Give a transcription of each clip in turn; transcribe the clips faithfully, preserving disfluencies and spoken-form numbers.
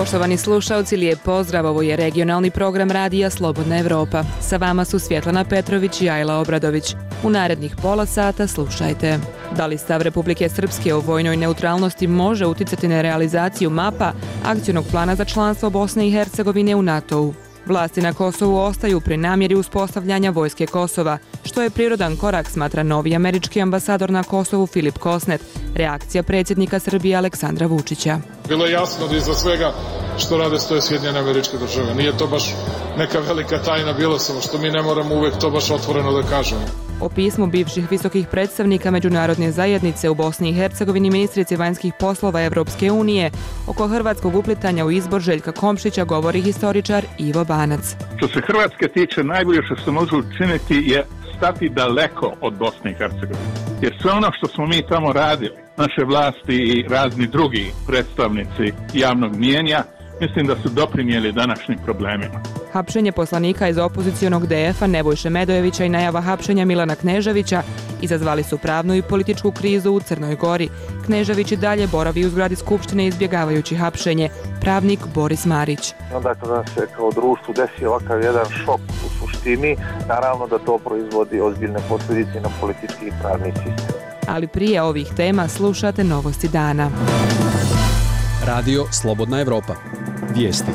Poštovani slušaoci, lijep pozdrav, ovo je regionalni program radija Slobodna Evropa. Sa vama su Svjetlana Petrović i Ajla Obradović. U narednih pola sata slušajte. Da li stav Republike Srpske o vojnoj neutralnosti može uticati na realizaciju mapa akcionog plana za članstvo Bosne i Hercegovine u NATO-u? Vlasti na Kosovu ostaju pri namjeri uspostavljanja vojske Kosova, što je prirodan korak, smatra novi američki ambasador na Kosovu Filip Kosnet. Reakcija predsjednika Srbije Aleksandra Vučića. Bilo je jasno da iza svega što rade stoje Sjedinjene Američke Države. Nije to baš neka velika tajna, bilo samo što mi ne moramo uvijek to baš otvoreno da kažemo. O pismu bivših visokih predstavnika međunarodne zajednice u Bosni i Hercegovini ministrici vanjskih poslova Evropske unije oko hrvatskog uplitanja u izbor Željka Komšića govori historičar Ivo Banac. Što se Hrvatske tiče, najbolje što se može učiniti je stati daleko od Bosne i Hercegovine. Jer sve ono što smo mi tamo radili, naše vlasti i razni drugi predstavnici javnog mijenja, mislim da su doprinijeli današnjim problemima. Hapšenje poslanika iz opozicijonog D F-a Nebojše Medojevića i najava hapšenja Milana Kneževića izazvali su pravnu i političku krizu u Crnoj Gori. Knežević i dalje boravi u zgradi Skupštine izbjegavajući hapšenje. Pravnik Boris Marić. Onda kada se kao društvu desi ovakav jedan šok u suštini, naravno da to proizvodi ozbiljne posljedice na politički i pravni sistem. Ali prije ovih tema slušate novosti dana. Radio Slobodna Evropa. Vijesti.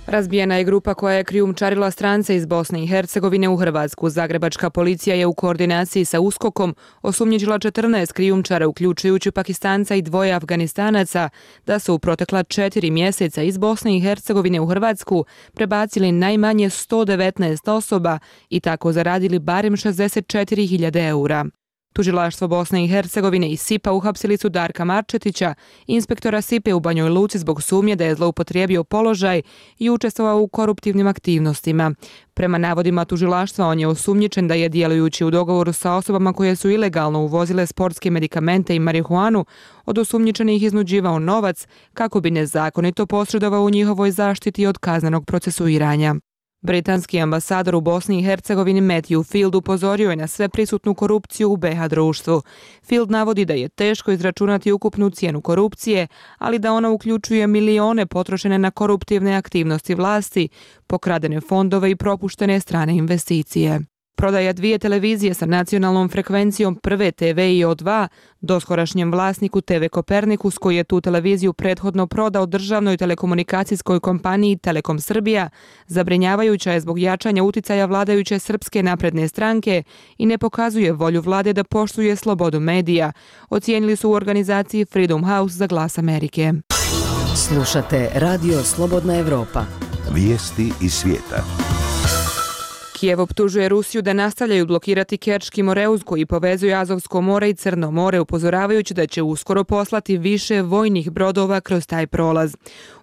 Razbijena je grupa koja je krijumčarila strance iz Bosne i Hercegovine u Hrvatsku. Zagrebačka policija je u koordinaciji sa USKOK-om osumnjičila četrnaest krijumčara, uključujući Pakistanca i dvoje Afganistanaca, da su u protekla četiri mjeseca iz Bosne i Hercegovine u Hrvatsku prebacili najmanje sto devetnaest osoba i tako zaradili barem šezdeset četiri hiljade eura. Tužilaštvo Bosne i Hercegovine i S I P-a uhapsili su Darka Marčetića, inspektora S I P-a u Banjoj Luci zbog sumnje da je zloupotrijebio položaj i učestvovao u koruptivnim aktivnostima. Prema navodima tužilaštva, on je osumnjičen da je, djelujući u dogovoru sa osobama koje su ilegalno uvozile sportske medikamente i marihuanu, od osumnjičenih iznuđivao novac kako bi nezakonito posredovao u njihovoj zaštiti od kaznenog procesuiranja. Britanski ambasador u Bosni i Hercegovini Matthew Field upozorio je na sve prisutnu korupciju u B iH društvu. Field navodi da je teško izračunati ukupnu cijenu korupcije, ali da ona uključuje milione potrošene na koruptivne aktivnosti vlasti, pokradene fondove i propuštene strane investicije. Prodaja dvije televizije sa nacionalnom frekvencijom Prve T V i O dva doskorašnjem vlasniku T V Kopernikus, koji je tu televiziju prethodno prodao državnoj telekomunikacijskoj kompaniji Telekom Srbija, zabrinjavajuća je zbog jačanja uticaja vladajuće Srpske napredne stranke i ne pokazuje volju vlade da poštuje slobodu medija, ocijenili su u organizaciji Freedom House za Glas Amerike. Slušate Radio Slobodna Evropa. Vijesti iz svijeta. Kijev optužuje Rusiju da nastavljaju blokirati Kerčki moreuz koji povezuje Azovsko more i Crno more, upozoravajući da će uskoro poslati više vojnih brodova kroz taj prolaz.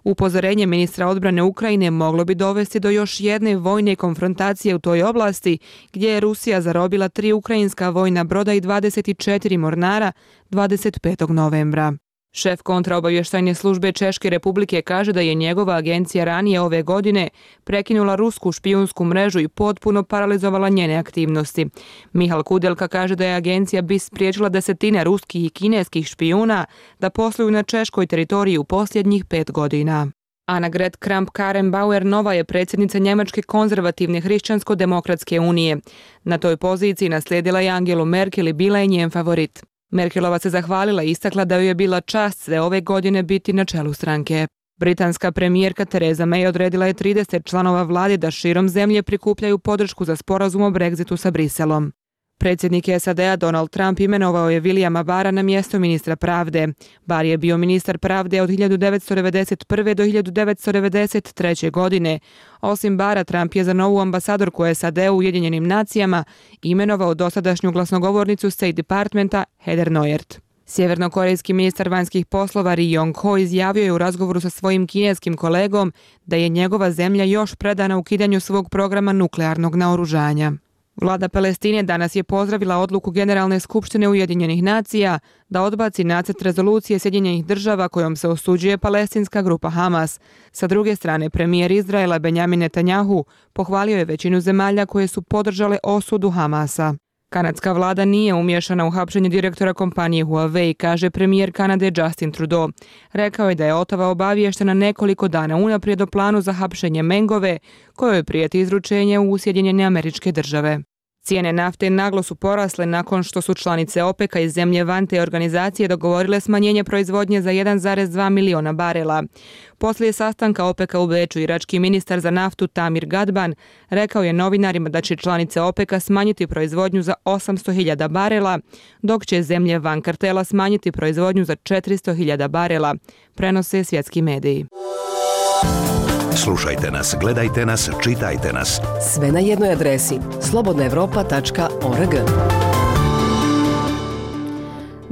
Upozorenje ministra odbrane Ukrajine moglo bi dovesti do još jedne vojne konfrontacije u toj oblasti, gdje je Rusija zarobila tri ukrajinska vojna broda i dvadeset četiri mornara dvadeset petog novembra. Šef kontraobavještajne službe Češke Republike kaže da je njegova agencija ranije ove godine prekinula rusku špijunsku mrežu i potpuno paralizovala njene aktivnosti. Mihal Kudelka kaže da je agencija B I S spriječila desetine ruskih i kineskih špijuna da posluju na češkoj teritoriji u posljednjih pet godina. Annegret Kramp-Karrenbauer nova je predsjednica Njemačke konzervativne hrišćansko-demokratske unije. Na toj poziciji naslijedila je Angelu Merkel i bila je njen favorit. Merkelova se zahvalila i istakla da joj je bila čast sve ove godine biti na čelu stranke. Britanska premijerka Theresa May odredila je trideset članova vlade da širom zemlje prikupljaju podršku za sporazum o Brexitu sa Briselom. Predsjednik S A D-a Donald Trump imenovao je Williama Barra na mjesto ministra pravde. Barr je bio ministar pravde od hiljadu devetsto devedeset prve do hiljadu devetsto devedeset treće godine. Osim Barra, Trump je za novu ambasadorku S A D-a u Ujedinjenim nacijama imenovao dosadašnju glasnogovornicu State Departmenta Heather Nauert. Sjevernokorejski ministar vanjskih poslova Ri Yong Ho izjavio je u razgovoru sa svojim kineskim kolegom da je njegova zemlja još predana ukidanju svog programa nuklearnog naoružanja. Vlada Palestine danas je pozdravila odluku Generalne skupštine Ujedinjenih nacija da odbaci nacrt rezolucije Sjedinjenih država kojom se osuđuje palestinska grupa Hamas. Sa druge strane, premijer Izraela Benjamin Netanjahu pohvalio je većinu zemalja koje su podržale osudu Hamasa. Kanadska vlada nije umješana u hapšenje direktora kompanije Huawei, kaže premijer Kanade Justin Trudeau. Rekao je da je Ottawa obaviještena nekoliko dana unaprijed o planu za hapšenje Mengove, kojoj prijeti izručenje u Sjedinjene Američke Države. Cijene nafte naglo su porasle nakon što su članice OPEC-a i zemlje van te organizacije dogovorile smanjenje proizvodnje za jedan zarez dva miliona barela. Poslije sastanka OPEC-a u Beču, irački ministar za naftu Tamir Gadban rekao je novinarima da će članice OPEC-a smanjiti proizvodnju za osamsto hiljada barela, dok će zemlje van kartela smanjiti proizvodnju za četiristo hiljada barela, prenose svjetski mediji. Slušajte nas, gledajte nas, čitajte nas. Sve na jednoj adresi slobodna evropa tačka org.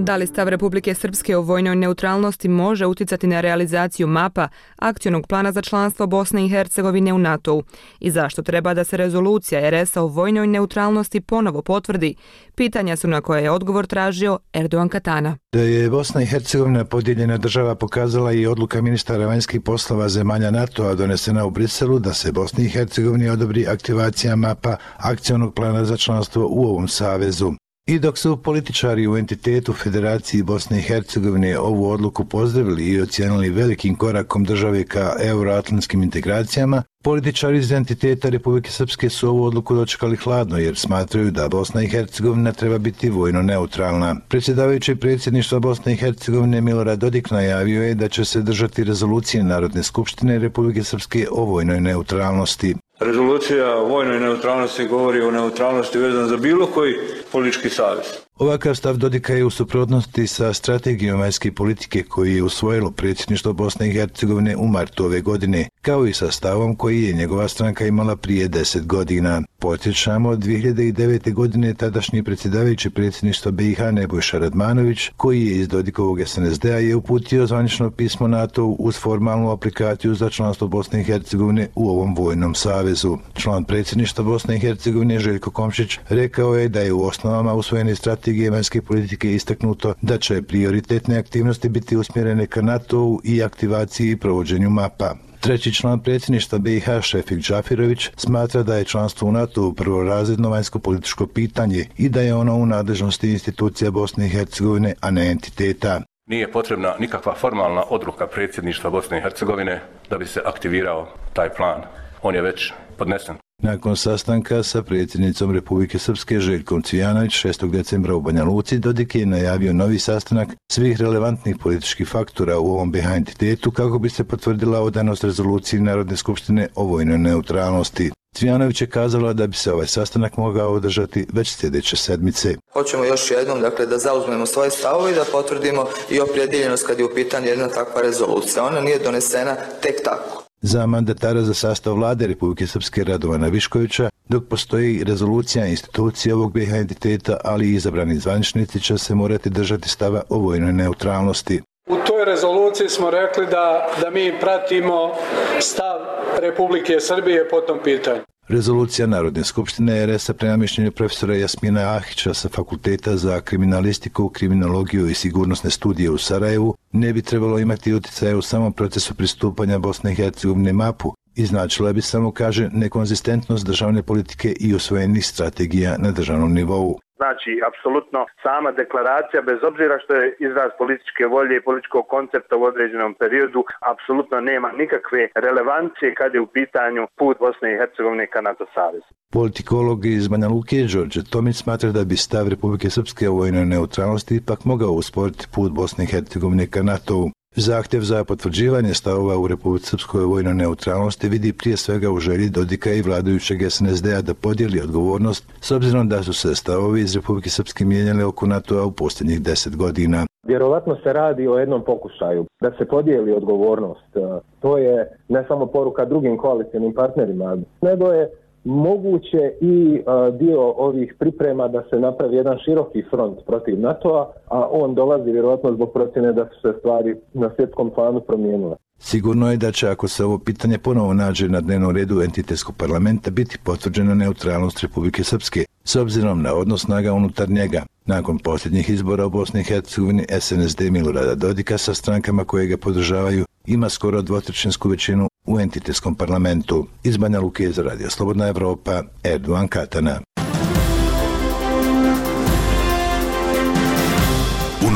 Da li stav Republike Srpske o vojnoj neutralnosti može uticati na realizaciju mapa akcionog plana za članstvo Bosne i Hercegovine u NATO-u i zašto treba da se rezolucija er es a o vojnoj neutralnosti ponovo potvrdi? Pitanja su na koje je odgovor tražio Erdogan Katana. Da je Bosna i Hercegovina podijeljena država pokazala i odluka ministara vanjskih poslova zemalja NATO-a donesena u Briselu da se Bosni i Hercegovini odobri aktivacija mapa akcionog plana za članstvo u ovom savezu. I dok su političari u entitetu Federaciji Bosne i Hercegovine ovu odluku pozdravili i ocijenili velikim korakom države ka euroatlantskim integracijama, političari iz entiteta Republike Srpske su ovu odluku dočekali hladno jer smatraju da Bosna i Hercegovina treba biti vojno neutralna. Predsjedavajući predsjedništva Bosne i Hercegovine Milorad Dodik najavio je da će se držati rezolucije Narodne skupštine Republike Srpske o vojnoj neutralnosti. Rezolucija o vojnoj neutralnosti govori o neutralnosti vezan za bilo koji politički savez. Ovakav stav Dodika je u suprotnosti sa strategijom vanjske politike koju je usvojilo predsjedništvo Bosne i Hercegovine u martu ove godine, kao i sa stavom koji je njegova stranka imala prije deset godina. Podsjećamo, dvije hiljade devete. godine tadašnji predsjedavajući predsjedništva be i ha Nebojša Radmanović, koji je iz Dodikovog es en es de a, je uputio zvanično pismo NATO uz formalnu aplikaciju za članstvo Bosne i Hercegovine u ovom vojnom savezu. Član predsjedništva Bosne i Hercegovine Željko Komšić rekao je da je u osnovama usvojene strategije vanjske politike istaknuto da će prioritetne aktivnosti biti usmjerene ka NATO-u i aktivaciji i provođenju mapa. Treći član predsjedništva be i ha Šefik Džafirović smatra da je članstvo u NATO-u prvorazredno vanjsko političko pitanje i da je ono u nadležnosti institucija Bosne i Hercegovine, a ne entiteta. Nije potrebna nikakva formalna odluka predsjedništva Bosne i Hercegovine da bi se aktivirao taj plan. On je već podnesen. Nakon sastanka sa predsjednicom Republike Srpske Željkom Cvijanović šestog decembra u Banja Luci, Dodik je najavio novi sastanak svih relevantnih političkih faktora u ovom be i ha entitetu kako bi se potvrdila odanost rezoluciji Narodne skupštine o vojnoj neutralnosti. Cvijanović je kazala da bi se ovaj sastanak mogao održati već sljedeće sedmice. Hoćemo još jednom dakle, da zauzmemo svoje stavove i da potvrdimo i opredijeljenost kad je u pitanju jedna takva rezolucija. Ona nije donesena tek tako. Za mandatara za sastav vlade Republike Srpske Radovana Viškovića, dok postoji rezolucija institucije ovog be i ha entiteta, ali i izabrani zvaničnici će se morati držati stava o vojnoj neutralnosti. U toj rezoluciji smo rekli da, da mi pratimo stav Republike Srbije po tom pitanju. Rezolucija Narodne skupštine er es a prema mišljenju profesora Jasmina Ahića sa Fakulteta za kriminalistiku, kriminologiju i sigurnosne studije u Sarajevu ne bi trebalo imati utjecaja u samom procesu pristupanja Bosne i Hercegovine mapu i značila bi samo, kaže, nekonzistentnost državne politike i usvojenih strategija na državnom nivou. Znači, apsolutno sama deklaracija, bez obzira što je izraz političke volje i političkog koncepta u određenom periodu, apsolutno nema nikakve relevancije kad je u pitanju put Bosne i Hercegovine ka NATO savezu. Politikolog iz Banja Luke Đorđe Tomić smatra da bi stav Republike Srpske o vojnoj neutralnosti ipak mogao usporiti put Bosne i Hercegovine ka NATO-u. Zahtjev za potvrđivanje stavova u Republici Srpskoj vojnoj neutralnosti vidi prije svega u želji Dodika i vladajućeg es en es de a da podijeli odgovornost, s obzirom da su se stavovi iz Republike Srpske mijenjali oko NATO-a u posljednjih deset godina. Vjerovatno se radi o jednom pokušaju da se podijeli odgovornost. To je ne samo poruka drugim koalicijnim partnerima, nego je moguće i a, dio ovih priprema da se napravi jedan široki front protiv NATO-a, a on dolazi vjerojatno zbog procjene da su se stvari na svjetskom planu promijenile. Sigurno je da će, ako se ovo pitanje ponovo nađe na dnevnom redu entitetskog parlamenta, biti potvrđena neutralnost Republike Srpske, s obzirom na odnos snaga unutar njega. Nakon posljednjih izbora u Bosni i Hercegovini, es en es de Milorada Dodika sa strankama koje ga podržavaju ima skoro dvotrećinsku većinu u entitetskom parlamentu. Iz Banja Luke za Radio Slobodna Evropa, Erdogan Katana.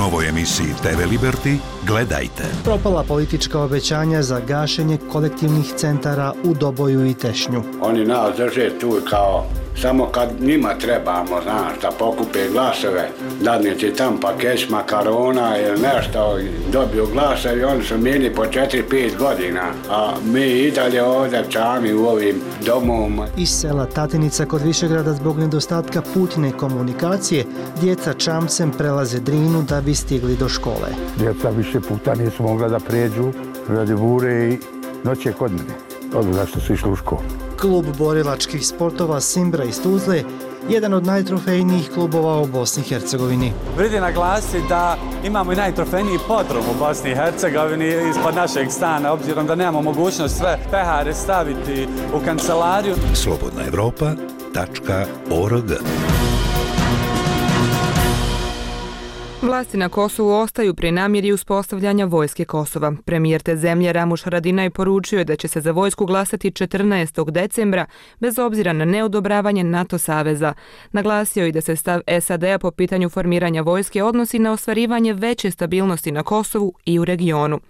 novoj emisiji te ve Liberty gledajte. Propala politička obećanja za gašenje kolektivnih centara u Doboju i Tešnju. Oni nas drže tu kao samo kad njima trebamo, znaš, da pokupe glasove, dadne ti tam pakeć makarona ili nešto, dobiju glasove i oni su mini po četiri pet godina, a mi i dalje ovdje čami u ovim domovima. Iz sela Tatinica kod Višegrada zbog nedostatka putne komunikacije, djeca čamcem prelaze Drinu da bi stigli do škole. Djeca više puta nisu mogla da pređu radi bure i noće kod mene, od zašto su išli u školu. Klub borilačkih sportova Simbra iz Tuzle, jedan od najtrofejnijih klubova u Bosni i Hercegovini. Vredi naglasiti da imamo i najtrofejniji podrum u Bosni i Hercegovini ispod našeg stana, obzirom da nemamo mogućnost sve pehare staviti u kancelariju. slobodna evropa tačka org. Vlasti na Kosovu ostaju pri namjeri uspostavljanja vojske Kosova. Premijer te zemlje Ramuš Haradinaj poručio je da će se za vojsku glasati četrnaestog decembra bez obzira na neodobravanje NATO saveza. Naglasio je da se stav es a de a po pitanju formiranja vojske odnosi na ostvarivanje veće stabilnosti na Kosovu i u regionu.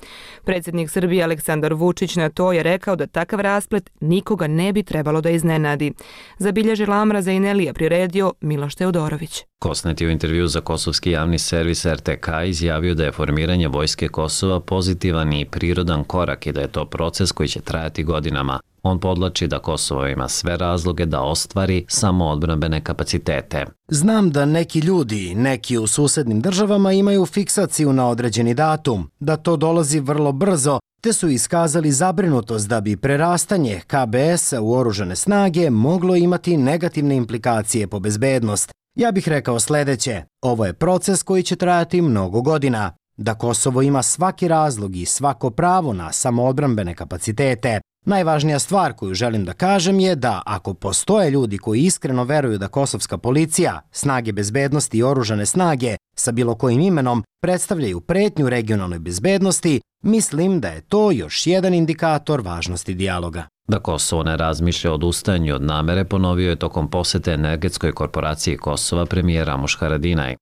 Predsjednik Srbije Aleksandar Vučić na to je rekao da takav rasplet nikoga ne bi trebalo da iznenadi. Zabilježila Amraza i Nelija priredio Miloš Teodorović. Kosnet je u intervju za kosovski javni servis er te ka izjavio da je formiranje vojske Kosova pozitivan i prirodan korak i da je to proces koji će trajati godinama. On podlači da Kosovo ima sve razloge da ostvari samoodbrambene kapacitete. Znam da neki ljudi, neki u susednim državama imaju fiksaciju na određeni datum, da to dolazi vrlo brzo, te su iskazali zabrinutost da bi prerastanje ka be es-a u oružane snage moglo imati negativne implikacije po bezbednost. Ja bih rekao sljedeće, ovo je proces koji će trajati mnogo godina, da Kosovo ima svaki razlog i svako pravo na samoodbrambene kapacitete. Najvažnija stvar koju želim da kažem je da ako postoje ljudi koji iskreno veruju da kosovska policija, snage bezbednosti i oružane snage sa bilo kojim imenom predstavljaju pretnju regionalnoj bezbednosti, mislim da je to još jedan indikator važnosti dijaloga. Da Kosovo ne razmišlja o odustajanju od namere ponovio je tokom posete energetskoj korporaciji Kosova premijer Ramuš Haradinaj.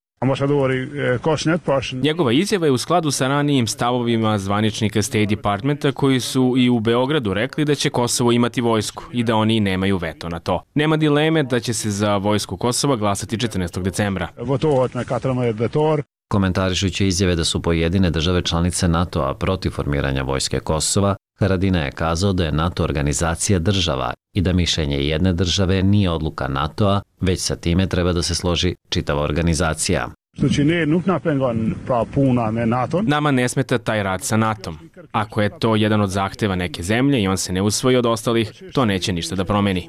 Njegova izjava je u skladu sa ranijim stavovima zvaničnika State Departmenta koji su i u Beogradu rekli da će Kosovo imati vojsku i da oni nemaju veto na to. Nema dileme da će se za vojsku Kosova glasati četrnaestog decembra. Komentarišući izjave da su pojedine države članice NATO-a protiv formiranja vojske Kosova, Haradinaj je kazao da je NATO organizacija država i da mišljenje jedne države nije odluka NATO-a, već sa time treba da se složi čitava organizacija. Nama ne smeta taj rad sa natom. Ako je to jedan od zahteva neke zemlje i on se ne usvoji od ostalih, to neće ništa da promeni.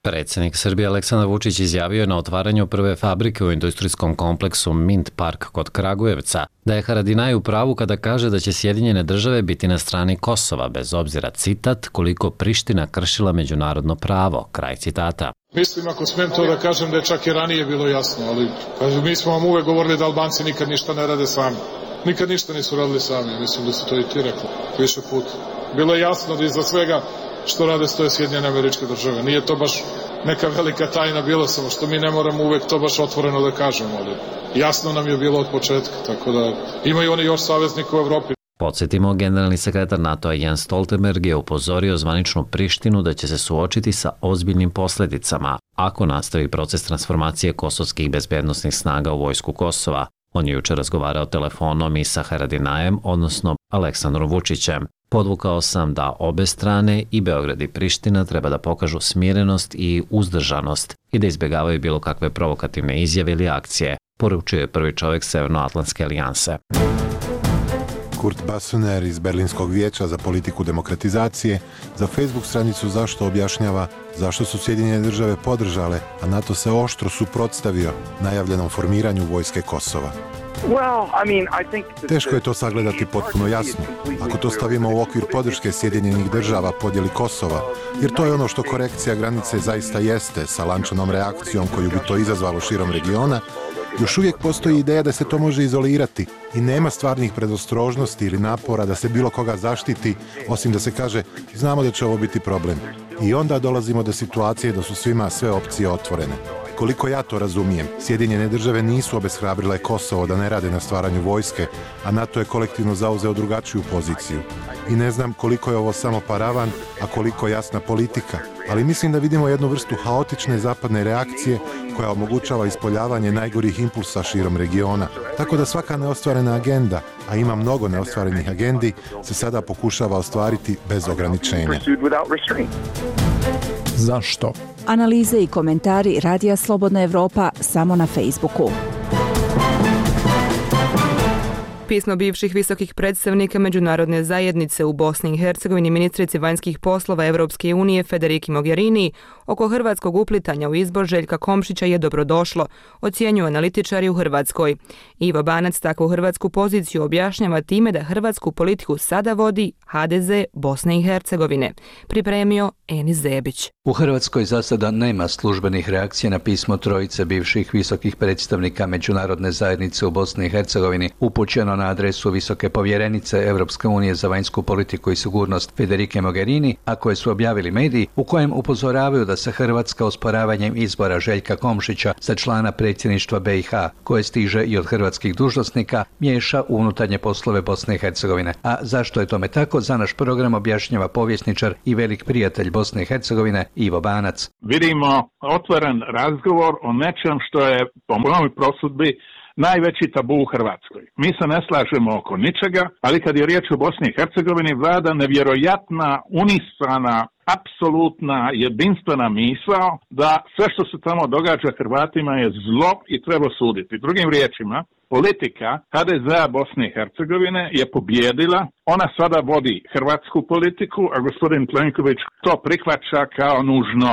Predsjednik Srbije Aleksandar Vučić izjavio je na otvaranju prve fabrike u industrijskom kompleksu Mint Park kod Kragujevca da je Haradinaj u pravu kada kaže da će Sjedinjene države biti na strani Kosova, bez obzira, citat, koliko Priština kršila međunarodno pravo, kraj citata. Mislim, ako smijem to da kažem, da je čak i ranije bilo jasno, ali kažu, mi smo vam uvek govorili da Albanci nikad ništa ne rade sami. Nikad ništa nisu radili sami, mislim da su to i ti rekli više puta. Bilo je jasno da iza svega što rade stoje Sjedinjene Američke Države. Nije to baš neka velika tajna bilo, samo što mi ne moramo uvek to baš otvoreno da kažemo, ali jasno nam je bilo od početka, tako da imaju oni još saveznika u Evropi. Podsjetimo, generalni sekretar NATO-a Jens Stoltenberg je upozorio zvaničnu Prištinu da će se suočiti sa ozbiljnim posljedicama ako nastavi proces transformacije kosovskih bezbednosnih snaga u vojsku Kosova. On je jučer razgovarao telefonom i sa Haradinajem, odnosno Aleksandrom Vučićem. Podvukao sam da obe strane, i Beograd i Priština, treba da pokažu smirenost i uzdržanost i da izbjegavaju bilo kakve provokativne izjave ili akcije, poručio je prvi čovjek Severnoatlantske alijanse. Kurt Bassener iz Berlinskog vijeća za politiku demokratizacije za Facebook stranicu Zašto objašnjava zašto su Sjedinjene države podržale, a NATO se oštro suprotstavio najavljenom formiranju vojske Kosova. Teško je to sagledati potpuno jasno, ako to stavimo u okvir podrške Sjedinjenih država podjeli Kosova, jer to je ono što korekcija granice zaista jeste, sa lančanom reakcijom koju bi to izazvalo širom regiona. Još uvijek postoji ideja da se to može izolirati i nema stvarnih predostrožnosti ili napora da se bilo koga zaštiti, osim da se kaže znamo da će ovo biti problem. I onda dolazimo do situacije da su svima sve opcije otvorene. Koliko ja to razumijem, Sjedinjene države nisu obeshrabrile Kosovo da ne rade na stvaranju vojske, a NATO je kolektivno zauzeo drugačiju poziciju. I ne znam koliko je ovo samo paravan, a koliko jasna politika, ali mislim da vidimo jednu vrstu haotične zapadne reakcije koja omogućava ispoljavanje najgorih impulsa širom regiona. Tako da svaka neostvarena agenda, a ima mnogo neostvarenih agendi, se sada pokušava ostvariti bez ograničenja. Zašto? Analize i komentari Radija Slobodna Evropa samo na Facebooku. Pismo bivših visokih predstavnika međunarodne zajednice u Bosni i Hercegovini ministrici vanjskih poslova Evropske unije Federiki Mogherini oko hrvatskog uplitanja u izbor Željka Komšića je dobrodošlo, ocjenjuju analitičari u Hrvatskoj. Ivo Banac takvu hrvatsku poziciju objašnjava time da hrvatsku politiku sada vodi ha de ze Bosne i Hercegovine. Pripremio Enis Zebić. U Hrvatskoj za sada nema službenih reakcija na pismo trojice bivših visokih predstavnika međunarodne zajednice u Bosni i Hercegovini upućeno na adresu visoke povjerenice Evropske unije za vanjsku politiku i sigurnost Federike Mogherini, a koje su objavili mediji, u kojem upozoravaju da se Hrvatska osporavanjem izbora Željka Komšića za člana predsjedništva be i ha, koje stiže i od hrvatskih dužnosnika, miješa u unutarnje poslove Bosne i Hercegovine. A zašto je tome tako, za naš program objašnjava povjesničar i velik prijatelj Bosne i Hercegovine Ivo Banac. Vidimo otvoren razgovor o nečem što je po mojoj prosudbi najveći tabu u Hrvatskoj. Mi se ne slažemo oko ničega, ali kad je riječ o Bosni i Hercegovini vlada nevjerojatna, unisana, apsolutna, jedinstvena misao da sve što se tamo događa Hrvatima je zlo i treba suditi. Drugim riječima, politika ha de zea Bosne i Hercegovine je pobjedila, ona sada vodi hrvatsku politiku, a gospodin Plenković to prihvaća kao nužno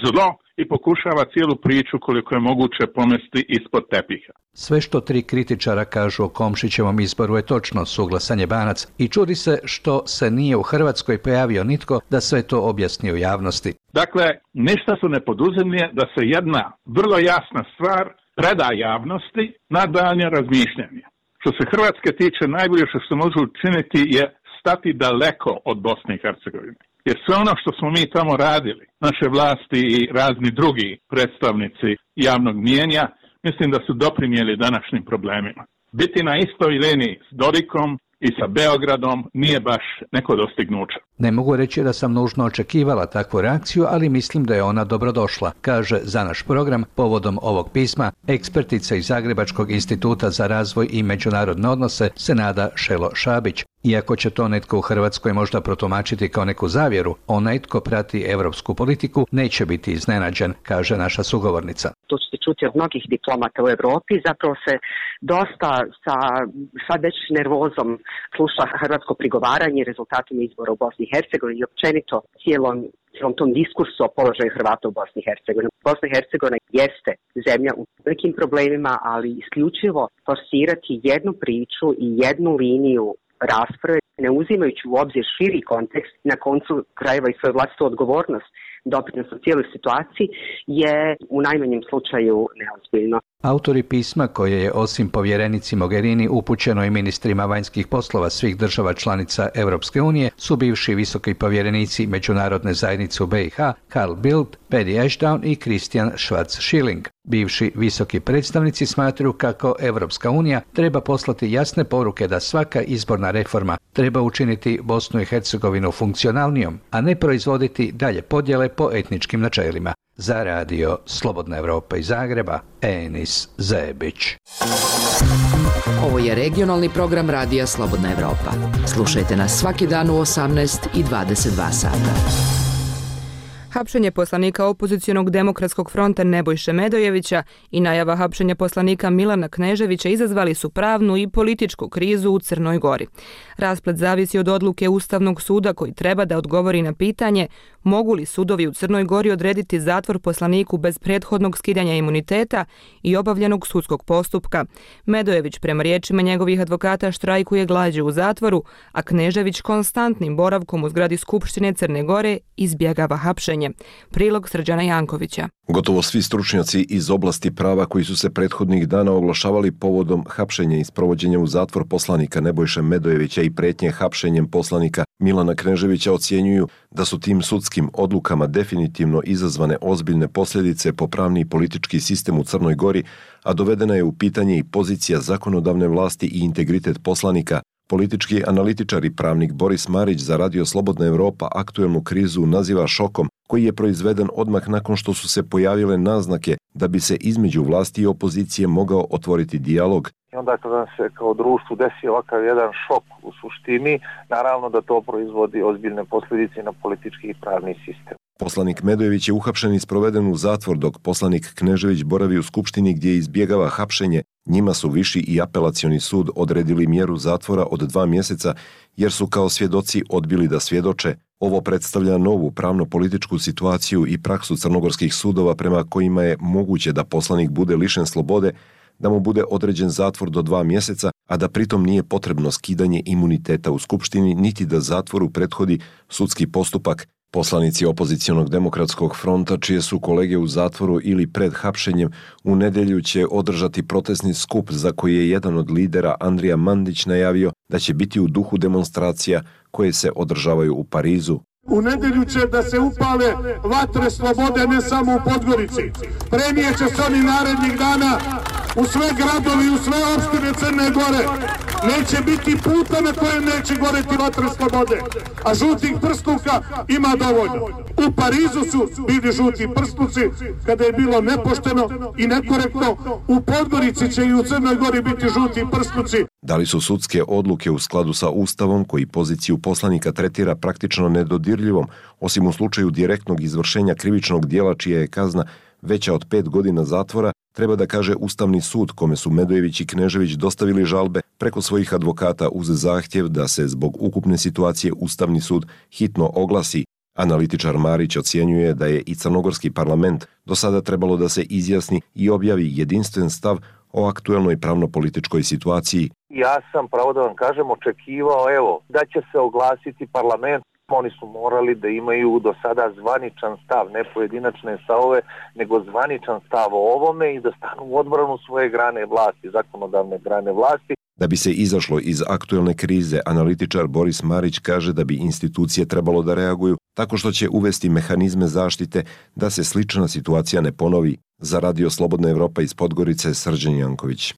zlo i pokušava cijelu priču koliko je moguće pomesti ispod tepiha. Sve što tri kritičara kažu o Komšićevom izboru je točno, suglasan je Banac, i čudi se što se nije u Hrvatskoj pojavio nitko da sve to objasni u javnosti. Dakle, ništa su ne poduzimlje da se jedna vrlo jasna stvar preda javnosti na daljnje razmišljanje. Što se Hrvatske tiče, najbolje što se može učiniti je stati daleko od Bosne i Hercegovine. Jer sve ono što smo mi tamo radili, naše vlasti i razni drugi predstavnici javnog mnijenja, mislim da su doprinijeli današnjim problemima. Biti na istoj liniji s Dodikom i sa Beogradom nije baš neko dostignuće. Ne mogu reći da sam nužno očekivala takvu reakciju, ali mislim da je ona dobrodošla, kaže za naš program povodom ovog pisma ekspertica iz Zagrebačkog instituta za razvoj i međunarodne odnose Senada Šelo Šabić. Iako će to netko u Hrvatskoj možda protumačiti kao neku zavjeru, onaj tko prati evropsku politiku neće biti iznenađen, kaže naša sugovornica. To ćete čuti od mnogih diplomata u Evropi, zapravo se dosta sa sad već nervozom sluša hrvatsko prigovaranje rezultatima izbora u Bosni i Hercegovini i općenito cijelom, cijelom tom diskursu o položaju Hrvata u Bosni i Hercegovini. Bosna i Hercegovina jeste zemlja u velikim problemima, ali isključivo forsirati jednu priču i jednu liniju rasprave, ne uzimajući u obzir širi kontekst, na koncu krajeva i svoju vlastitu odgovornost doprinos u cijeloj situaciji, je u najmanjem slučaju neozbiljno. Autori pisma, koje je osim povjerenici Mogherini upućeno i ministrima vanjskih poslova svih država članica Europske unije, su bivši visoki povjerenici međunarodne zajednice u be i ha Carl Bildt, Paddy Ashdown i Christian Schwarz-Schilling. Bivši visoki predstavnici smatraju kako Europska unija treba poslati jasne poruke da svaka izborna reforma treba učiniti Bosnu i Hercegovinu funkcionalnijom, a ne proizvoditi dalje podjele po etničkim načelima. Za radio Slobodna Evropa iz Zagreba, Enis Zebić. Ovo je regionalni program Radija Slobodna Evropa. Slušajte nas svaki dan u osamnaest i dvadeset dva sata. Hapšenje poslanika opozicionog demokratskog fronta Nebojše Medojevića i najava hapšenja poslanika Milana Kneževića izazvali su pravnu i političku krizu u Crnoj Gori. Rasplet zavisi od odluke Ustavnog suda koji treba da odgovori na pitanje mogu li sudovi u Crnoj Gori odrediti zatvor poslaniku bez prethodnog skidanja imuniteta i obavljenog sudskog postupka. Medojević prema riječima njegovih advokata štrajkuje glađu u zatvoru, a Knežević konstantnim boravkom u zgradi Skupštine Crne Gore izbjegava hapšenje. suđenje. Prilog Srđana Jankovića. Gotovo svi stručnjaci iz oblasti prava koji su se prethodnih dana oglašavali povodom hapšenja i sprovođenja u zatvor poslanika Nebojše Medojevića i pretnje hapšenjem poslanika Milana Kneževića ocjenjuju da su tim sudskim odlukama definitivno izazvane ozbiljne posljedice po pravni i politički sistem u Crnoj Gori, a dovedena je u pitanje i pozicija zakonodavne vlasti i integritet poslanika. Politički analitičar i pravnik Boris Marić za Radio Slobodna Evropa aktuelnu krizu naziva šokom koji je proizveden odmah nakon što su se pojavile naznake da bi se između vlasti i opozicije mogao otvoriti dijalog. I onda kada nam se kao društvu desi ovakav jedan šok u suštini, naravno da to proizvodi ozbiljne posljedice na politički i pravni sistem. Poslanik Medojević je uhapšen i sproveden u zatvor, dok poslanik Knežević boravi u Skupštini gdje izbjegava hapšenje. Njima su Viši i Apelacioni sud odredili mjeru zatvora od dva mjeseca jer su kao svjedoci odbili da svjedoče. Ovo predstavlja novu pravno-političku situaciju i praksu crnogorskih sudova prema kojima je moguće da poslanik bude lišen slobode, da mu bude određen zatvor do dva mjeseca, a da pritom nije potrebno skidanje imuniteta u Skupštini niti da zatvoru prethodi sudski postupak. Poslanici opozicionog demokratskog fronta, čije su kolege u zatvoru ili pred hapšenjem, u nedjelju će održati protestni skup za koji je jedan od lidera Andrija Mandić najavio da će biti u duhu demonstracija koje se održavaju u Parizu. U nedjelju će da se upale vatre slobode ne samo u Podgorici. Premijet će se oni narednih dana u sve gradovi, u sve opštine Crne Gore. Neće biti puta na kojem neće goreti vatre slobode, a žutih prsluka ima dovoljno. U Parizu su bili žuti prsluci kada je bilo nepošteno i nekorektno. U Podgorici će i u Crnoj Gori biti žuti prsluci. Da li su sudske odluke u skladu sa Ustavom koji poziciju poslanika tretira praktično nedodirljivom, osim u slučaju direktnog izvršenja krivičnog dijela čija je kazna veća od pet godina zatvora, treba da kaže Ustavni sud kome su Medojević i Knežević dostavili žalbe preko svojih advokata uz zahtjev da se zbog ukupne situacije Ustavni sud hitno oglasi. Analitičar Marić ocjenjuje da je i crnogorski parlament do sada trebalo da se izjasni i objavi jedinstven stav o aktuelnoj pravno-političkoj situaciji. Ja sam, pravo da vam kažem, očekivao evo, da će se oglasiti parlament. Oni su morali da imaju do sada zvaničan stav, ne pojedinačne stavove, nego zvaničan stav o ovome i da stanu u odbranu svoje grane vlasti, zakonodavne grane vlasti. Da bi se izašlo iz aktuelne krize, analitičar Boris Marić kaže da bi institucije trebalo da reaguju tako što će uvesti mehanizme zaštite da se slična situacija ne ponovi. Za Radio Slobodna Evropa iz Podgorice, Srđan Janković.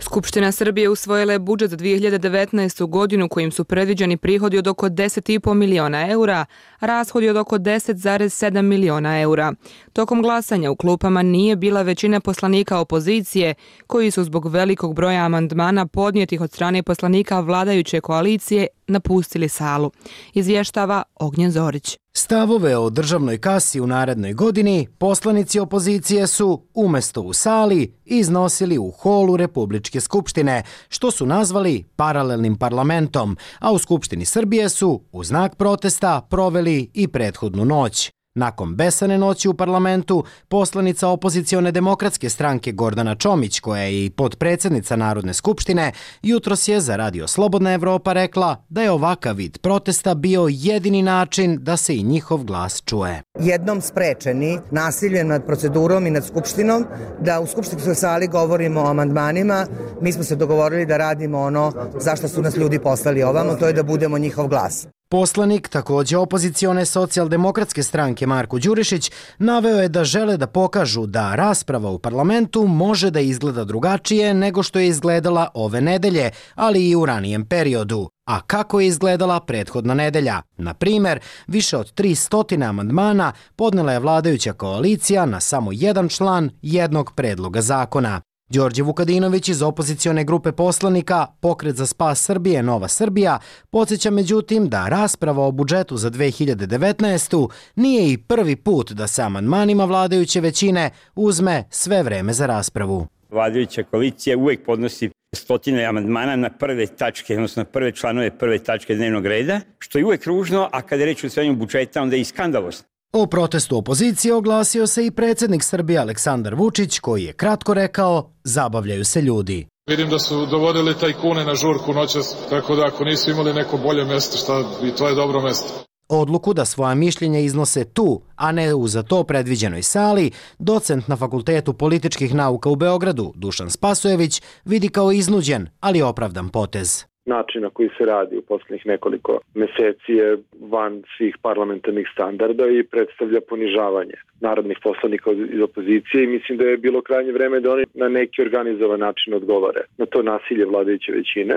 Skupština Srbije usvojila je budžet za dvije hiljade devetnaestu. godinu kojim su predviđeni prihodi od oko deset i po miliona eura, a rashodi od oko deset zarez sedam miliona eura. Tokom glasanja u klupama nije bila većina poslanika opozicije, koji su zbog velikog broja amandmana podnijetih od strane poslanika vladajuće koalicije napustili salu. Izvještava Ognjen Zorić. Stavove o državnoj kasi u narednoj godini poslanici opozicije su, umjesto u sali, iznosili u holu Republičke skupštine, što su nazvali paralelnim parlamentom, a u Skupštini Srbije su, u znak protesta, proveli i prethodnu noć. Nakon besane noći u parlamentu, poslanica opozicione demokratske stranke Gordana Čomić, koja je i potpredsjednica Narodne skupštine, jutros je za Radio Slobodna Evropa rekla da je ovakav vid protesta bio jedini način da se i njihov glas čuje. Jednom sprečeni nasiljem nad procedurom i nad skupštinom, da u skupštinskoj sali govorimo o amandmanima, mi smo se dogovorili da radimo ono zašto su nas ljudi poslali ovamo, to je da budemo njihov glas. Poslanik, također opozicione socijaldemokratske stranke Marko Đurišić, naveo je da žele da pokažu da rasprava u parlamentu može da izgleda drugačije nego što je izgledala ove nedelje, ali i u ranijem periodu. A kako je izgledala prethodna nedelja? Na primjer, više od tristo amandmana podnela je vladajuća koalicija na samo jedan član jednog predloga zakona. Đorđe Vukadinović iz opozicione grupe poslanika Pokret za spas Srbije Nova Srbija podsjeća međutim da rasprava o budžetu za dve hiljade devetnaestu. nije i prvi put da se amandmanima vladajuće većine uzme sve vreme za raspravu. Vladajuća koalicija uvijek podnosi stotine amandmana na prve tačke, odnosno na prve članove prve tačke dnevnog reda, što je uvijek ružno, a kada je reč o usvajanju budžeta, onda je i skandalozno. O protestu opozicije oglasio se i predsjednik Srbije Aleksandar Vučić, koji je kratko rekao: zabavljaju se ljudi. Vidim da su dovodili tajkune na žurku noćas, tako da ako nisu imali neko bolje mesto, šta, i to je dobro mesto. Odluku da svoja mišljenja iznose tu, a ne u za to predviđenoj sali, docent na Fakultetu političkih nauka u Beogradu, Dušan Spasojević, vidi kao iznuđen, ali opravdan potez. Način na koji se radi u posljednjih nekoliko meseci je van svih parlamentarnih standarda i predstavlja ponižavanje narodnih poslanika iz opozicije i mislim da je bilo krajnje vreme da oni na neki organizovan način odgovore na to nasilje vladajuće većine.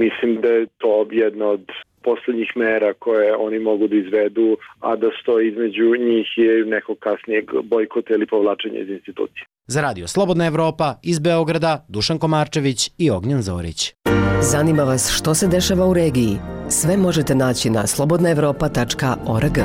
Mislim da je to jedna od posljednjih mera koje oni mogu da izvedu, a da stoji između njih je nekog kasnijeg bojkota ili povlačenja iz institucije. Za Radio Slobodna Evropa iz Beograda, Dušan Komarčević i Ognjen Zorić. Zanima vas što se dešava u regiji? Sve možete naći na slobodna evropa tačka org.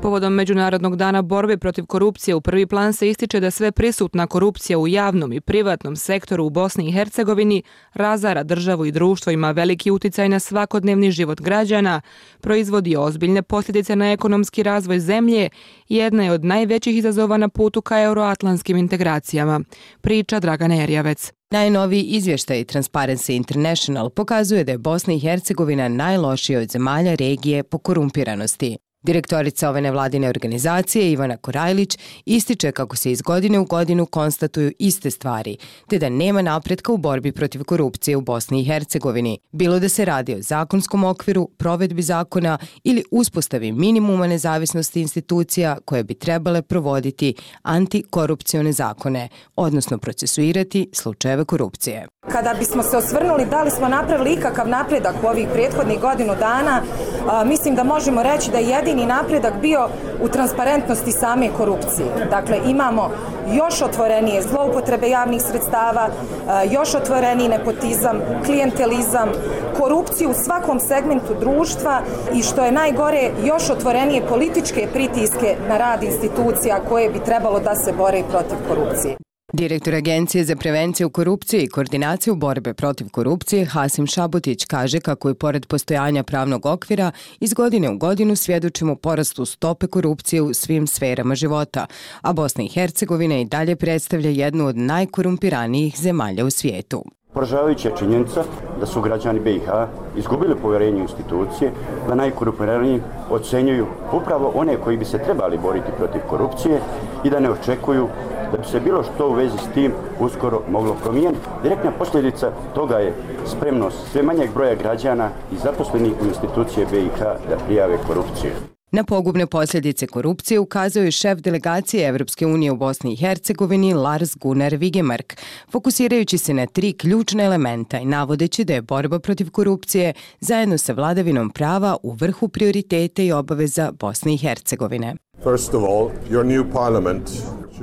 Povodom Međunarodnog dana borbe protiv korupcije u prvi plan se ističe da sve prisutna korupcija u javnom i privatnom sektoru u Bosni i Hercegovini razara državu i društvo, ima veliki uticaj na svakodnevni život građana, proizvodi ozbiljne posljedice na ekonomski razvoj zemlje i jedna je od najvećih izazova na putu ka euroatlantskim integracijama, priča Dragana Erjavec. Najnoviji izvještaj Transparency International pokazuje da je Bosna i Hercegovina najlošija od zemalja regije po korumpiranosti. Direktorica ove nevladine organizacije Ivana Korajlić ističe kako se iz godine u godinu konstatuju iste stvari, te da nema napretka u borbi protiv korupcije u Bosni i Hercegovini, bilo da se radi o zakonskom okviru, provedbi zakona ili uspostavi minimuma nezavisnosti institucija koje bi trebale provoditi antikorupcione zakone, odnosno procesuirati slučajeve korupcije. Kada bismo se osvrnuli da li smo napravili ikakav napredak u ovih prethodnih godinu dana, a, mislim da možemo reći da je jedini napredak bio u transparentnosti same korupcije. Dakle, imamo još otvorenije zloupotrebe javnih sredstava, a, još otvoreniji nepotizam, klijentelizam, korupciju u svakom segmentu društva i što je najgore, još otvorenije političke pritiske na rad institucija koje bi trebalo da se bore protiv korupcije. Direktor Agencije za prevenciju korupcije i koordinaciju borbe protiv korupcije Hasim Šabutić kaže kako je pored postojanja pravnog okvira iz godine u godinu svjedočimo porastu stope korupcije u svim sferama života, a Bosna i Hercegovina i dalje predstavlja jednu od najkorumpiranijih zemalja u svijetu. Poražavajuća je činjenica da su građani B i H izgubili povjerenje u institucije, da najkorumpiraniji ocenjuju upravo one koji bi se trebali boriti protiv korupcije i da ne očekuju da bi se bilo što u vezi s tim uskoro moglo promijeniti. Direktna posljedica toga je spremnost sve manjeg broja građana i zaposlenih u institucije B i H da prijave korupciju. Na pogubne posljedice korupcije ukazao je šef delegacije Evropske unije u Bosni i Hercegovini Lars Gunnar Vigemark, fokusirajući se na tri ključna elementa i navodeći da je borba protiv korupcije zajedno sa vladavinom prava u vrhu prioriteta i obaveza Bosne i Hercegovine. First of all, your new parliament.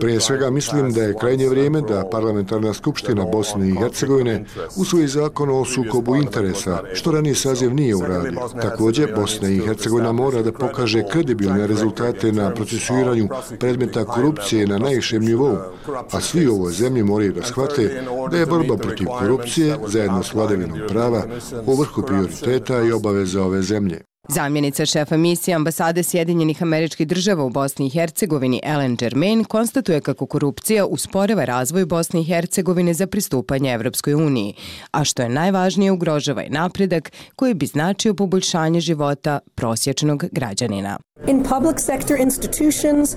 Prije svega mislim da je krajnje vrijeme da Parlamentarna skupština Bosne i Hercegovine usvoji zakon o sukobu interesa, što raniji saziv nije uradio. Također, Bosna i Hercegovina mora da pokaže kredibilne rezultate na procesuiranju predmeta korupcije na najvišem nivou, a svi u ovoj zemlji moraju da shvate da je borba protiv korupcije zajedno s vladavinom prava u vrhu prioriteta i obaveza ove zemlje. Zamjenica šefa misije ambasade Sjedinjenih Američkih Država u Bosni i Hercegovini Ellen Germain konstatuje kako korupcija usporava razvoj Bosne i Hercegovine za pristupanje Evropskoj uniji, a što je najvažnije ugrožava i napredak koji bi značio poboljšanje života prosječnog građanina.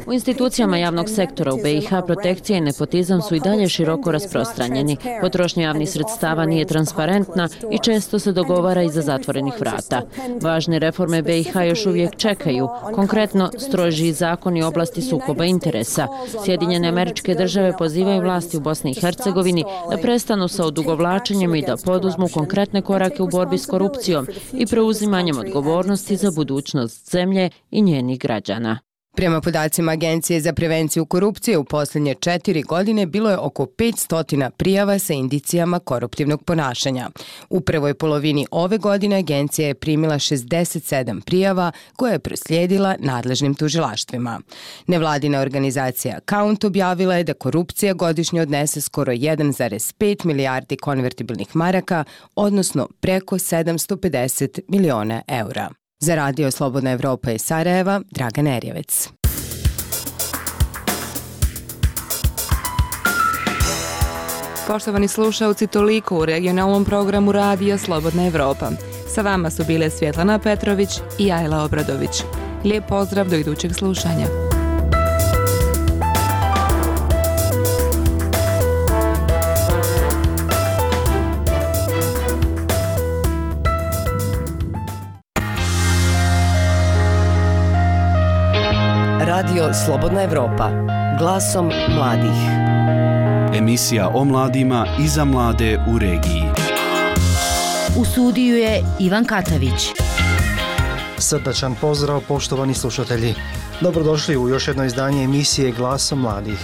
U institucijama javnog sektora u B i H protekcija i nepotizam su i dalje široko rasprostranjeni. Potrošnja javnih sredstava nije transparentna i često se dogovara iza zatvorenih vrata. Važne reforme B i H još uvijek čekaju, konkretno strožiji zakoni u oblasti sukoba interesa. Sjedinjene Američke Države pozivaju vlasti u Bosni i Hercegovini da prestanu sa odugovlačenjem i da poduzmu konkretne korake u borbi s korupcijom i preuzimanjem odgovornosti za budućnost zemlje i njenih građana. Prema podacima Agencije za prevenciju korupcije u posljednje četiri godine bilo je oko petsto prijava sa indicijama koruptivnog ponašanja. U prvoj polovini ove godine agencija je primila šezdeset sedam prijava koje je proslijedila nadležnim tužilaštvima. Nevladina organizacija Count objavila je da korupcija godišnje odnese skoro jedan zarez pet milijardi konvertibilnih maraka, odnosno preko sedamsto pedeset miliona eura. Za Radio Slobodna Evropa iz Sarajeva, Dragan Erjavec. Poštovani slušaoci, toliko u regionalnom programu Radija Slobodna Evropa. Sa vama su bile Svjetlana Petrović i Ajla Obradović. Lijep pozdrav do idućeg slušanja. Radio Slobodna Evropa, glasom mladih. Emisija o mladima i za mlade u regiji. U studiju je Ivan Katavić. Srdačan pozdrav, poštovani slušatelji. Dobrodošli u još jedno izdanje emisije Glasom mladih.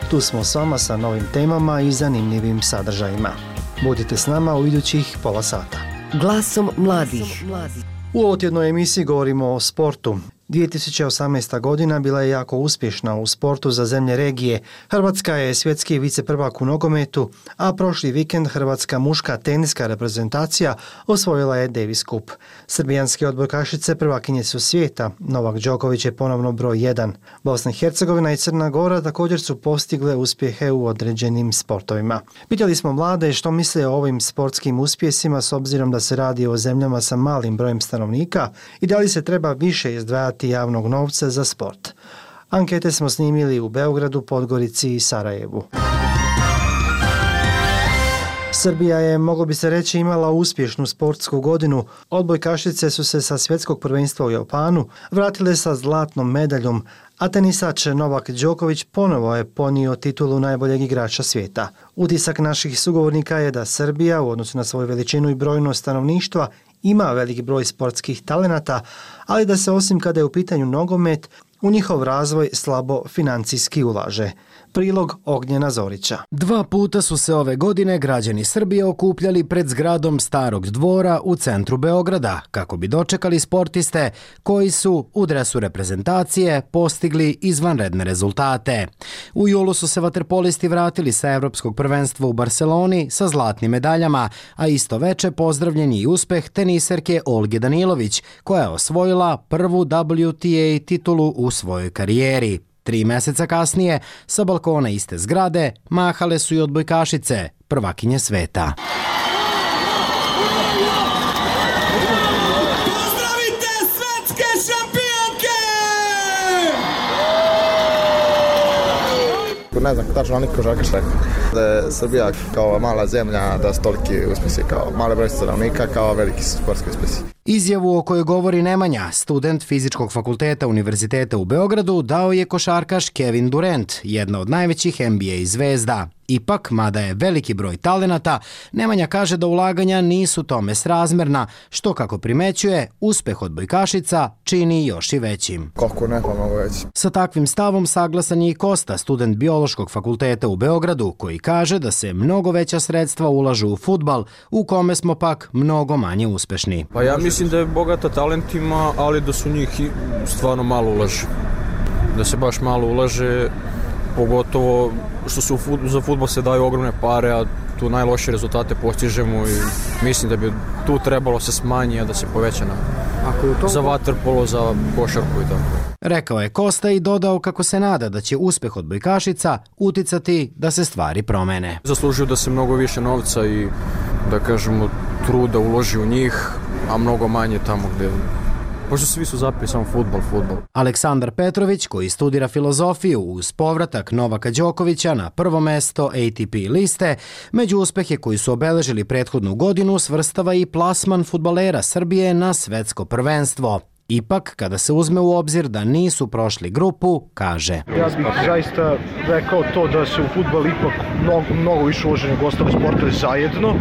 Tu smo s vama sa novim temama i zanimljivim sadržajima. Budite s nama u idućih pola sata. Glasom mladih. U ovotjednoj emisiji govorimo o sportu. dvije tisuće osamnaesta. godina bila je jako uspješna u sportu za zemlje regije. Hrvatska je svjetski viceprvak u nogometu, a prošli vikend hrvatska muška teniska reprezentacija osvojila je Davis Cup. Srbijanske odbojkašice prvakinje su svijeta, Novak Đoković je ponovno broj jedan. Bosna i Hercegovina i Crna Gora također su postigle uspjehe u određenim sportovima. Pitali smo mlade što misle o ovim sportskim uspjesima s obzirom da se radi o zemljama sa malim brojem stanovnika i da li se treba više izdvajati javnog novca za sport. Ankete smo snimili u Beogradu, Podgorici i Sarajevu. Srbija je, moglo bi se reći, imala uspješnu sportsku godinu. Odbojkašice su se sa svjetskog prvenstva u Japanu vratile sa zlatnom medaljom, a tenisač Novak Đoković ponovo je ponio titulu najboljeg igrača svijeta. Utisak naših sugovornika je da Srbija, u odnosu na svoju veličinu i brojnost stanovništva, ima veliki broj sportskih talenata, ali da se osim kada je u pitanju nogomet, u njihov razvoj slabo financijski ulaže. Prilog Ognjena Zorića. Dva puta su se ove godine građani Srbije okupljali pred zgradom Starog dvora u centru Beograda kako bi dočekali sportiste koji su u dresu reprezentacije postigli izvanredne rezultate. U julu su se vaterpolisti vratili sa Evropskog prvenstva u Barceloni sa zlatnim medaljama, a isto veče pozdravljen je i uspeh teniserke Olge Danilović koja je osvojila prvu W T A titulu u svojoj karijeri. Tri mjeseca kasnije, sa balkona iste zgrade, mahale su i odbojkašice, prvakinje sveta. Pozdravite svetske šampionke! Ne znam tačno niko žakaš rekao da je Srbija kao mala zemlja, da su toliki uspjesi kao male broj stanovnika, kao veliki sportski uspjesi. Izjavu o kojoj govori Nemanja, student Fizičkog fakulteta Univerziteta u Beogradu, dao je košarkaš Kevin Durant, jedna od najvećih N B A zvezda. Ipak, mada je veliki broj talenata, Nemanja kaže da ulaganja nisu tome srazmerna, što, kako primećuje, uspeh odbojkašica čini još i većim. Koliko ne, pa mogu veći. Sa takvim stavom saglasan je i Kosta, student Biološkog fakulteta u Beogradu, koji kaže da se mnogo veća sredstva ulažu u fudbal, u kome smo pak mnogo manje uspešni. Pa ja mislim da je bogata talentima, ali da su njih stvarno malo ulaže. Da se baš malo ulaže, pogotovo što su za fudbal se daju ogromne pare, a tu najlošije rezultate postižemo i mislim da bi tu trebalo se smanji, a da se poveća na to... za vaterpolo, za košarku i tako. Rekao je Kosta i dodao kako se nada da će uspeh odbojkašica uticati da se stvari promene. Zaslužuju da se mnogo više novca i, da kažemo, truda uloži u njih, a mnogo manje tamo gdje... Pošto svi su zapili samo fudbal, fudbal. Aleksandar Petrović, koji studira filozofiju uz povratak Novaka Đokovića na prvo mesto A T P liste, među uspehe koji su obeležili prethodnu godinu svrstava i plasman fudbalera Srbije na svetsko prvenstvo. Ipak, kada se uzme u obzir da nisu prošli grupu, kaže: Ja bih zaista rekao to da se u fudbal ipak mnogo, mnogo više uloži nego ostale sportove zajedno,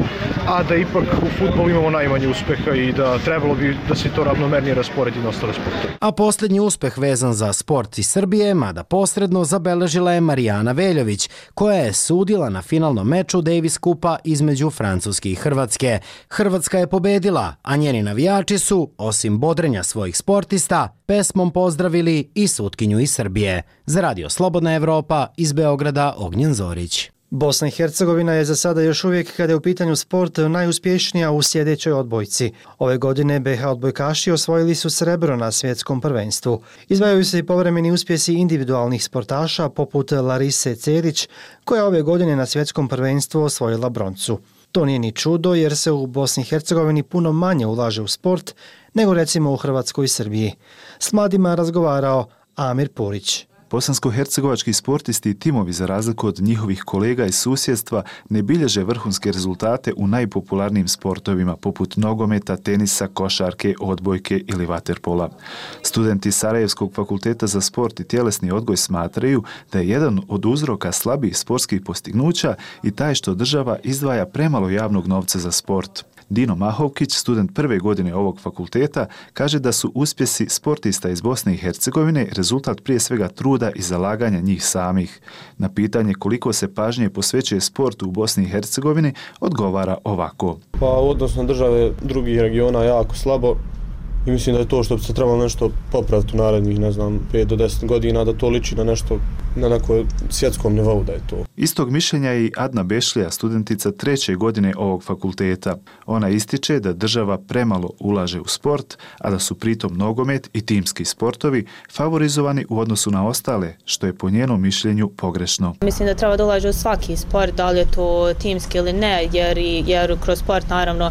a da ipak u fudbalu imamo najmanje uspeha i da trebalo bi da se to ravnomernije rasporedi na ostale sportove. A posljednji uspeh vezan za sport iz Srbije, mada posredno, zabeležila je Marijana Veljović, koja je sudila na finalnom meču Davis Cupa između Francuske i Hrvatske. Hrvatska je pobedila, a njeni navijači su, osim bodrenja svojih sportista, pesmom pozdravili i sutkinju iz Srbije. Za Radio Slobodna Evropa iz Beograda, Ognjen Zorić. Bosna i Hercegovina je za sada još uvijek, kada je u pitanju sport, najuspješnija u sljedećoj odbojci. Ove godine B H odbojkaši osvojili su srebro na svjetskom prvenstvu. Izdvajaju se i povremeni uspjesi individualnih sportaša poput Larise Cerić, koja ove godine na svjetskom prvenstvu osvojila broncu. To nije ni čudo jer se u Bosni i Hercegovini puno manje ulaže u sport nego recimo u Hrvatskoj i Srbiji. S mladima razgovarao Amir Purić. Bosansko-hercegovački sportisti i timovi, za razliku od njihovih kolega iz susjedstva, ne bilježe vrhunske rezultate u najpopularnijim sportovima poput nogometa, tenisa, košarke, odbojke ili vaterpola. Studenti Sarajevskog fakulteta za sport i tjelesni odgoj smatraju da je jedan od uzroka slabih sportskih postignuća i taj što država izdvaja premalo javnog novca za sport. Dino Mahovkić, student prve godine ovog fakulteta, kaže da su uspjesi sportista iz Bosne i Hercegovine rezultat prije svega truda i zalaganja njih samih. Na pitanje koliko se pažnje posvećuje sportu u Bosni i Hercegovini, odgovara ovako. Pa odnosno države drugih regiona jako slabo i mislim da je to što bi se trebalo nešto popraviti u narednih, ne znam, pet do deset godina, da to liči na nešto na nekoj svjetskom nivou da je to. Istog mišljenja je i Adna Bešlija, studentica treće godine ovog fakulteta. Ona ističe da država premalo ulaže u sport, a da su pritom nogomet i timski sportovi favorizovani u odnosu na ostale, što je po njenom mišljenju pogrešno. Mislim da treba da ulaže u svaki sport, da li je to timski ili ne, jer, jer kroz sport naravno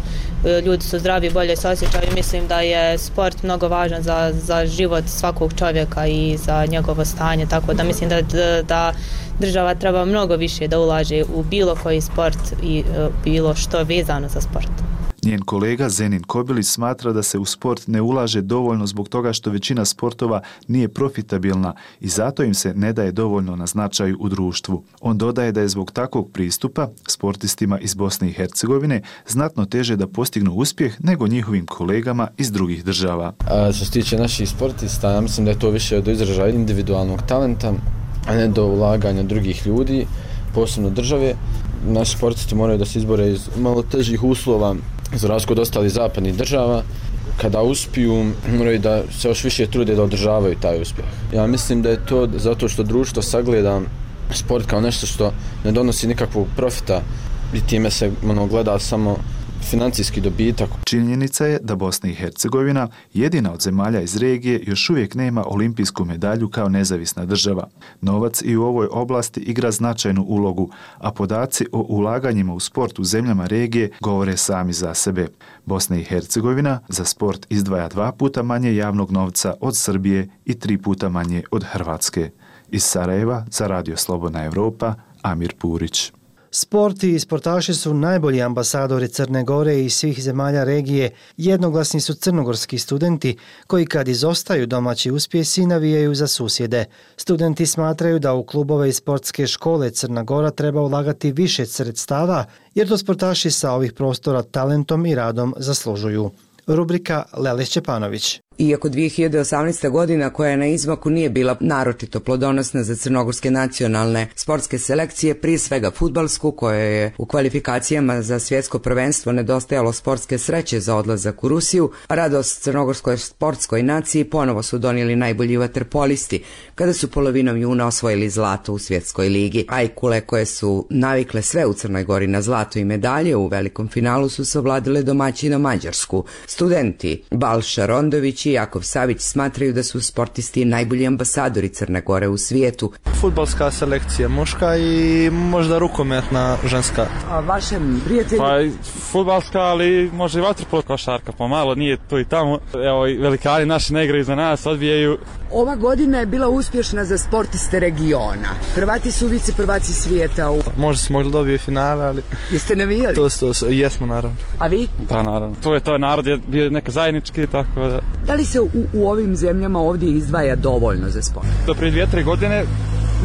ljudi su zdravi, bolje se osjećaju. Mislim da je sport mnogo važan za, za život svakog čovjeka i za njegovo stanje, tako da mislim da da država treba mnogo više da ulaže u bilo koji sport i bilo što vezano za sport. Njen kolega Zenin Kobilić smatra da se u sport ne ulaže dovoljno zbog toga što većina sportova nije profitabilna i zato im se ne daje dovoljno na značaju u društvu. On dodaje da je zbog takvog pristupa sportistima iz Bosne i Hercegovine znatno teže da postignu uspjeh nego njihovim kolegama iz drugih država. A što se tiče naših sportista, ja mislim da je to više do izražaja individualnog talenta, a ne do ulaganja drugih ljudi, posebno države. Naši sportisti moraju da se izbore iz malo težih uslova za razliku od ostalih zapadnih država. Kada uspiju, moraju da se još više trude da održavaju taj uspjeh. Ja mislim da je to zato što društvo sagleda sport kao nešto što ne donosi nikakvog profita i time se ono, gleda samo financijski dobitak. Činjenica je da Bosna i Hercegovina, jedina od zemalja iz regije, još uvijek nema olimpijsku medalju kao nezavisna država. Novac i u ovoj oblasti igra značajnu ulogu, a podaci o ulaganjima u sport u zemljama regije govore sami za sebe. Bosna i Hercegovina za sport izdvaja dva puta manje javnog novca od Srbije i tri puta manje od Hrvatske. Iz Sarajeva za Radio Slobodna Evropa, Amir Purić. Sport i sportaši su najbolji ambasadori Crne Gore i svih zemalja regije. Jednoglasni su crnogorski studenti koji kad izostaju domaći uspjesi navijaju za susjede. Studenti smatraju da u klubove i sportske škole Crna Gora treba ulagati više sredstava jer to sportaši sa ovih prostora talentom i radom zaslužuju. Rubrika Lele Šćepanović. Iako dvije hiljade osamnaesta godina koja je na izmaku nije bila naročito plodonosna za crnogorske nacionalne sportske selekcije, prije svega fudbalsku, koja je u kvalifikacijama za svjetsko prvenstvo nedostajalo sportske sreće za odlazak u Rusiju, radost crnogorskoj sportskoj naciji ponovo su donijeli najbolji vaterpolisti, kada su polovinom juna osvojili zlato u svjetskoj ligi. Ajkule, koje su navikle sve u Crnoj Gori na zlato i medalje, u velikom finalu su savladile domaćina Mađarsku. Studenti Balša Rondović i Jakov Savić smatraju da su sportisti najbolji ambasadori Crne Gore u svijetu. Fudbalska selekcija muška i možda rukometna ženska. A vašem prijatelju? Pa fudbalska, ali može i vaterpolo, košarka, pomalo, nije to i tamo. Evo i velikani naši ne igraju za nas, odbijaju. Ova godina je bila uspješna za sportiste regiona. Hrvati su vice prvaci svijeta. U... Možda smo mogli dobije finale, ali... Jeste navijali? To, to, to, jesmo naravno. A vi? Da, naravno. To je to, narod je bio neka zajednički, tako da... Da li se u, u ovim zemljama ovdje izdvaja dovoljno za sport? Do prije dvije, tri godine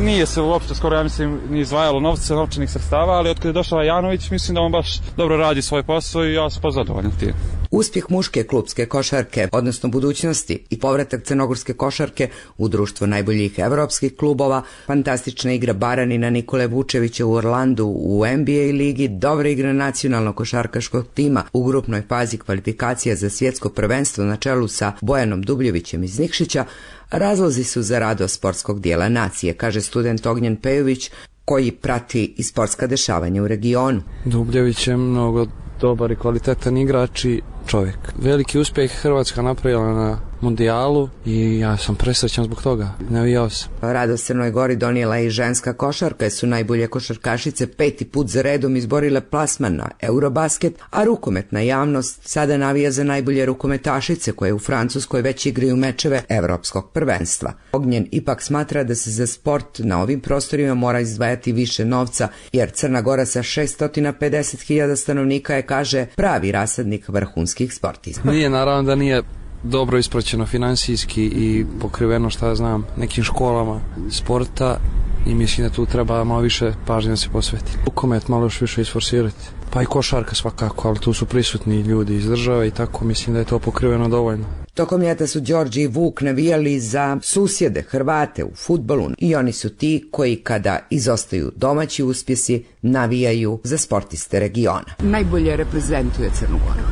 nije se uopšte skoro, ja mislim, ni izdvajalo novce, novčanih sredstava, ali od kada je došao Janović, mislim da on baš dobro radi svoj posao i ja sam pozadovoljan tim. Uspjeh muške klupske košarke, odnosno budućnosti i povratak crnogorske košarke u društvo najboljih evropskih klubova, fantastična igra Baranina Nikole Vučevića u Orlandu u N B A ligi, dobra igra nacionalnog košarkaškog tima u grupnoj fazi kvalifikacija za svjetsko prvenstvo na čelu sa Bojanom Dubljevićem iz Nikšića, razlozi su za radost sportskog dijela nacije, kaže student Ognjen Pejović, koji prati i sportska dešavanja u regionu. Dubljević je mnogo dobar i kvalitetan igrač i čovjek. Veliki uspjeh Hrvatska napravila na mundijalu i ja sam presrećan zbog toga. Navijao sam. Radost Crnoj Gori donijela i ženska košarka, jer su najbolje košarkašice peti put za redom izborile plasman na Eurobasket, a rukometna javnost sada navija za najbolje rukometašice koje u Francuskoj već igraju mečeve evropskog prvenstva. Ognjen ipak smatra da se za sport na ovim prostorima mora izdvajati više novca, jer Crna Gora sa šesto pedeset hiljada stanovnika je, kaže, pravi rasadnik vrhunskih sportista. Nije, naravno da nije dobro ispraćeno finansijski i pokriveno, šta znam, nekim školama sporta i mislim da tu treba malo više pažnje da se posveti. Rukomet malo još više isforsirati. Pa i košarka svakako, ali tu su prisutni ljudi iz države i tako mislim da je to pokriveno dovoljno. Tokom ljeta su Đorđe i Vuk navijali za susjede Hrvate u fudbalu i oni su ti koji kada izostaju domaći uspjesi navijaju za sportiste regiona. Najbolje reprezentuje Crnu Goru.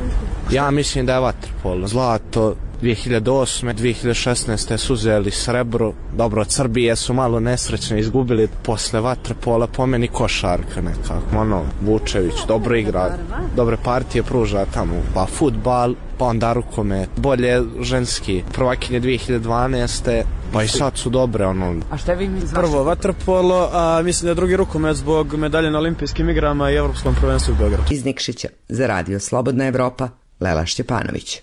Ja mislim da je vaterpolo. Zlato dvije hiljade osme. dvije hiljade šesnaeste su uzeli srebro. Dobro, od Srbije su malo nesrećno izgubili. Posle vaterpola po meni košarka nekako. Ono, Vučević dobro igra, dobre partije pruža tamo. Pa fudbal, pa onda rukomet. Bolje ženski. Prvakinje dvije hiljade dvanaeste. Pa i sad su dobre, ono. A šta vi mislite? Prvo vaterpolo, a mislim da je drugi rukomet zbog medalje na olimpijskim igrama i evropskom prvenstvu u Beogradu. Iz Nikšića za Radio Slobodna Evropa, Lela Šćepanović.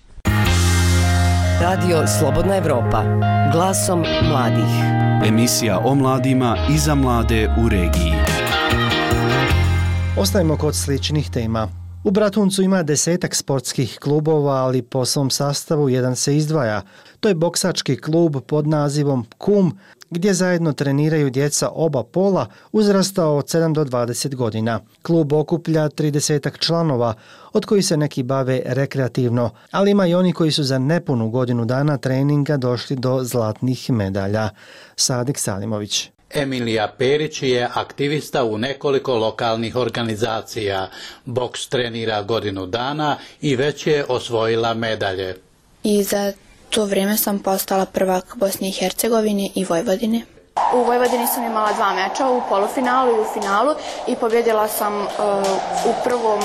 Radio Slobodna Evropa, glasom mladih. Emisija o mladima i za mlade u regiji. Ostajemo kod sličnih tema. U Bratuncu ima desetak sportskih klubova, ali po svom sastavu jedan se izdvaja. To je boksački klub pod nazivom Kum, gdje zajedno treniraju djeca oba pola uzrasta od sedam do dvadeset godina. Klub okuplja tridesetak članova, od kojih se neki bave rekreativno, ali ima i oni koji su za nepunu godinu dana treninga došli do zlatnih medalja. Sadik Salimović. Emilija Perić je aktivista u nekoliko lokalnih organizacija. Boks trenira godinu dana i već je osvojila medalje. I za to vrijeme sam postala prvak Bosne i Hercegovine i Vojvodine. U Vojvodini sam imala dva meča, u polufinalu i u finalu, i pobjedila sam uh, u prvom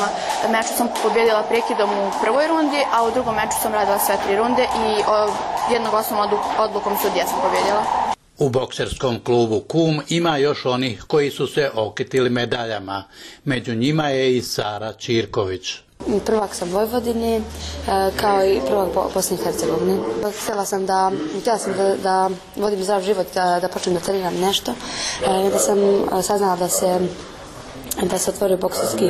meču sam pobjedila prekidom u prvoj rundi, a u drugom meču sam radila sve tri runde i uh, jednoglasnom odlukom sudija sam pobjedila. U bokserskom klubu Kum ima još onih koji su se okitili medaljama. Među njima je i Sara Čirković. Prvak sam Vojvodine, kao i prvak Bosne i Hercegovine. Htjela sam da, htjela sam da, da vodim zdrav život, da, da počnem da treniram nešto. Da sam saznala da se da se otvorio bokserski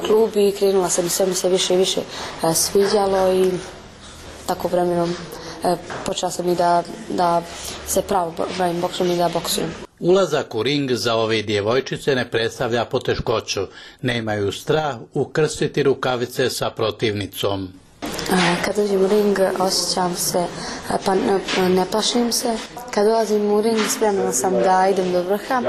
klub i krenula sam i sve mi se više i više sviđalo i tako vremenom počela sam i da, da se pravo bavim boksom i da boksujem. Ulazak u ring za ove djevojčice ne predstavlja poteškoću. Nemaju strah ukrstiti rukavice sa protivnicom. Kad uđem u ring osjećam se, pa ne plašim se. Kad ulazim u ring spremna sam da idem do vrha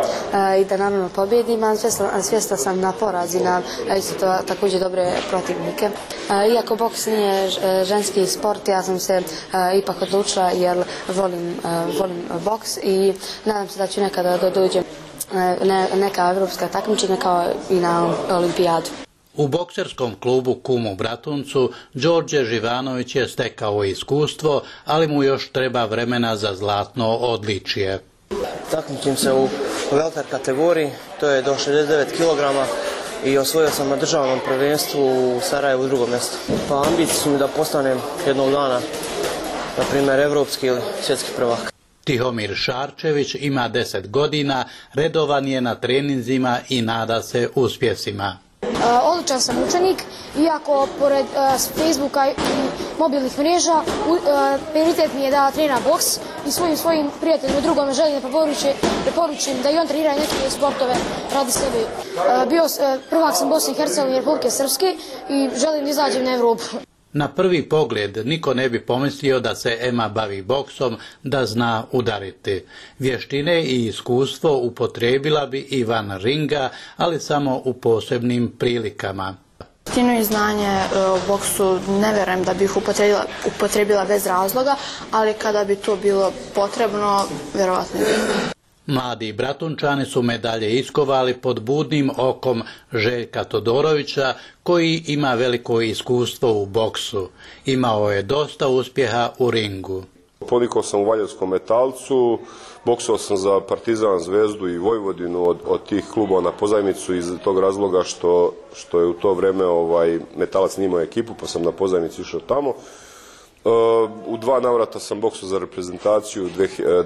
i da naravno pobjedim, a svjesna sam na porazi, na isto također dobre protivnike. Iako boks nije ženski sport, ja sam se ipak odlučila jer volim, volim boks i nadam se da ću nekada da dođem neka evropska takmičenja kao i na olimpijadu. U bokserskom klubu Kum u Bratuncu Đorđe Živanović je stekao iskustvo, ali mu još treba vremena za zlatno odličje. Takmičim se u welter kategoriji, to je do šezdeset devet kilograma i osvojio sam na državnom prvenstvu u Sarajevu drugo mjesto. Pa ambicije su mi da postanem jednog dana, na primjer, evropski ili svjetski prvak. Tihomir Šarčević ima deset godina, redovan je na treninzima i nada se uspjesima. Odličan sam učenik, iako pored Facebooka i mobilnih mreža prioritet mi je da treniram boks i svojim svojim prijateljima drugome želim da preporučim da i on trenira neke sportove radi sebe. Bio prvak sam Bosne i Hercegovine i Republike Srpske i želim da izađem na Evropu. Na prvi pogled niko ne bi pomislio da se Ema bavi boksom, da zna udariti. Vještine i iskustvo upotrijebila bi i van ringa, ali samo u posebnim prilikama. Vještinu i znanje u boksu ne vjerujem da bih upotrijebila, upotrijebila bez razloga, ali kada bi to bilo potrebno, vjerovatno bi. Mladi Bratunčani su medalje iskovali pod budnim okom Željka Todorovića, koji ima veliko iskustvo u boksu. Imao je dosta uspjeha u ringu. Ponikao sam u Valjevskom Metalcu, boksao sam za Partizan, Zvezdu i Vojvodinu od, od tih klubova na pozajmicu iz tog razloga što, što je u to vreme ovaj, Metalac nije imao ekipu, pa sam na pozajmicu išao tamo. U dva navrata sam boksao za reprezentaciju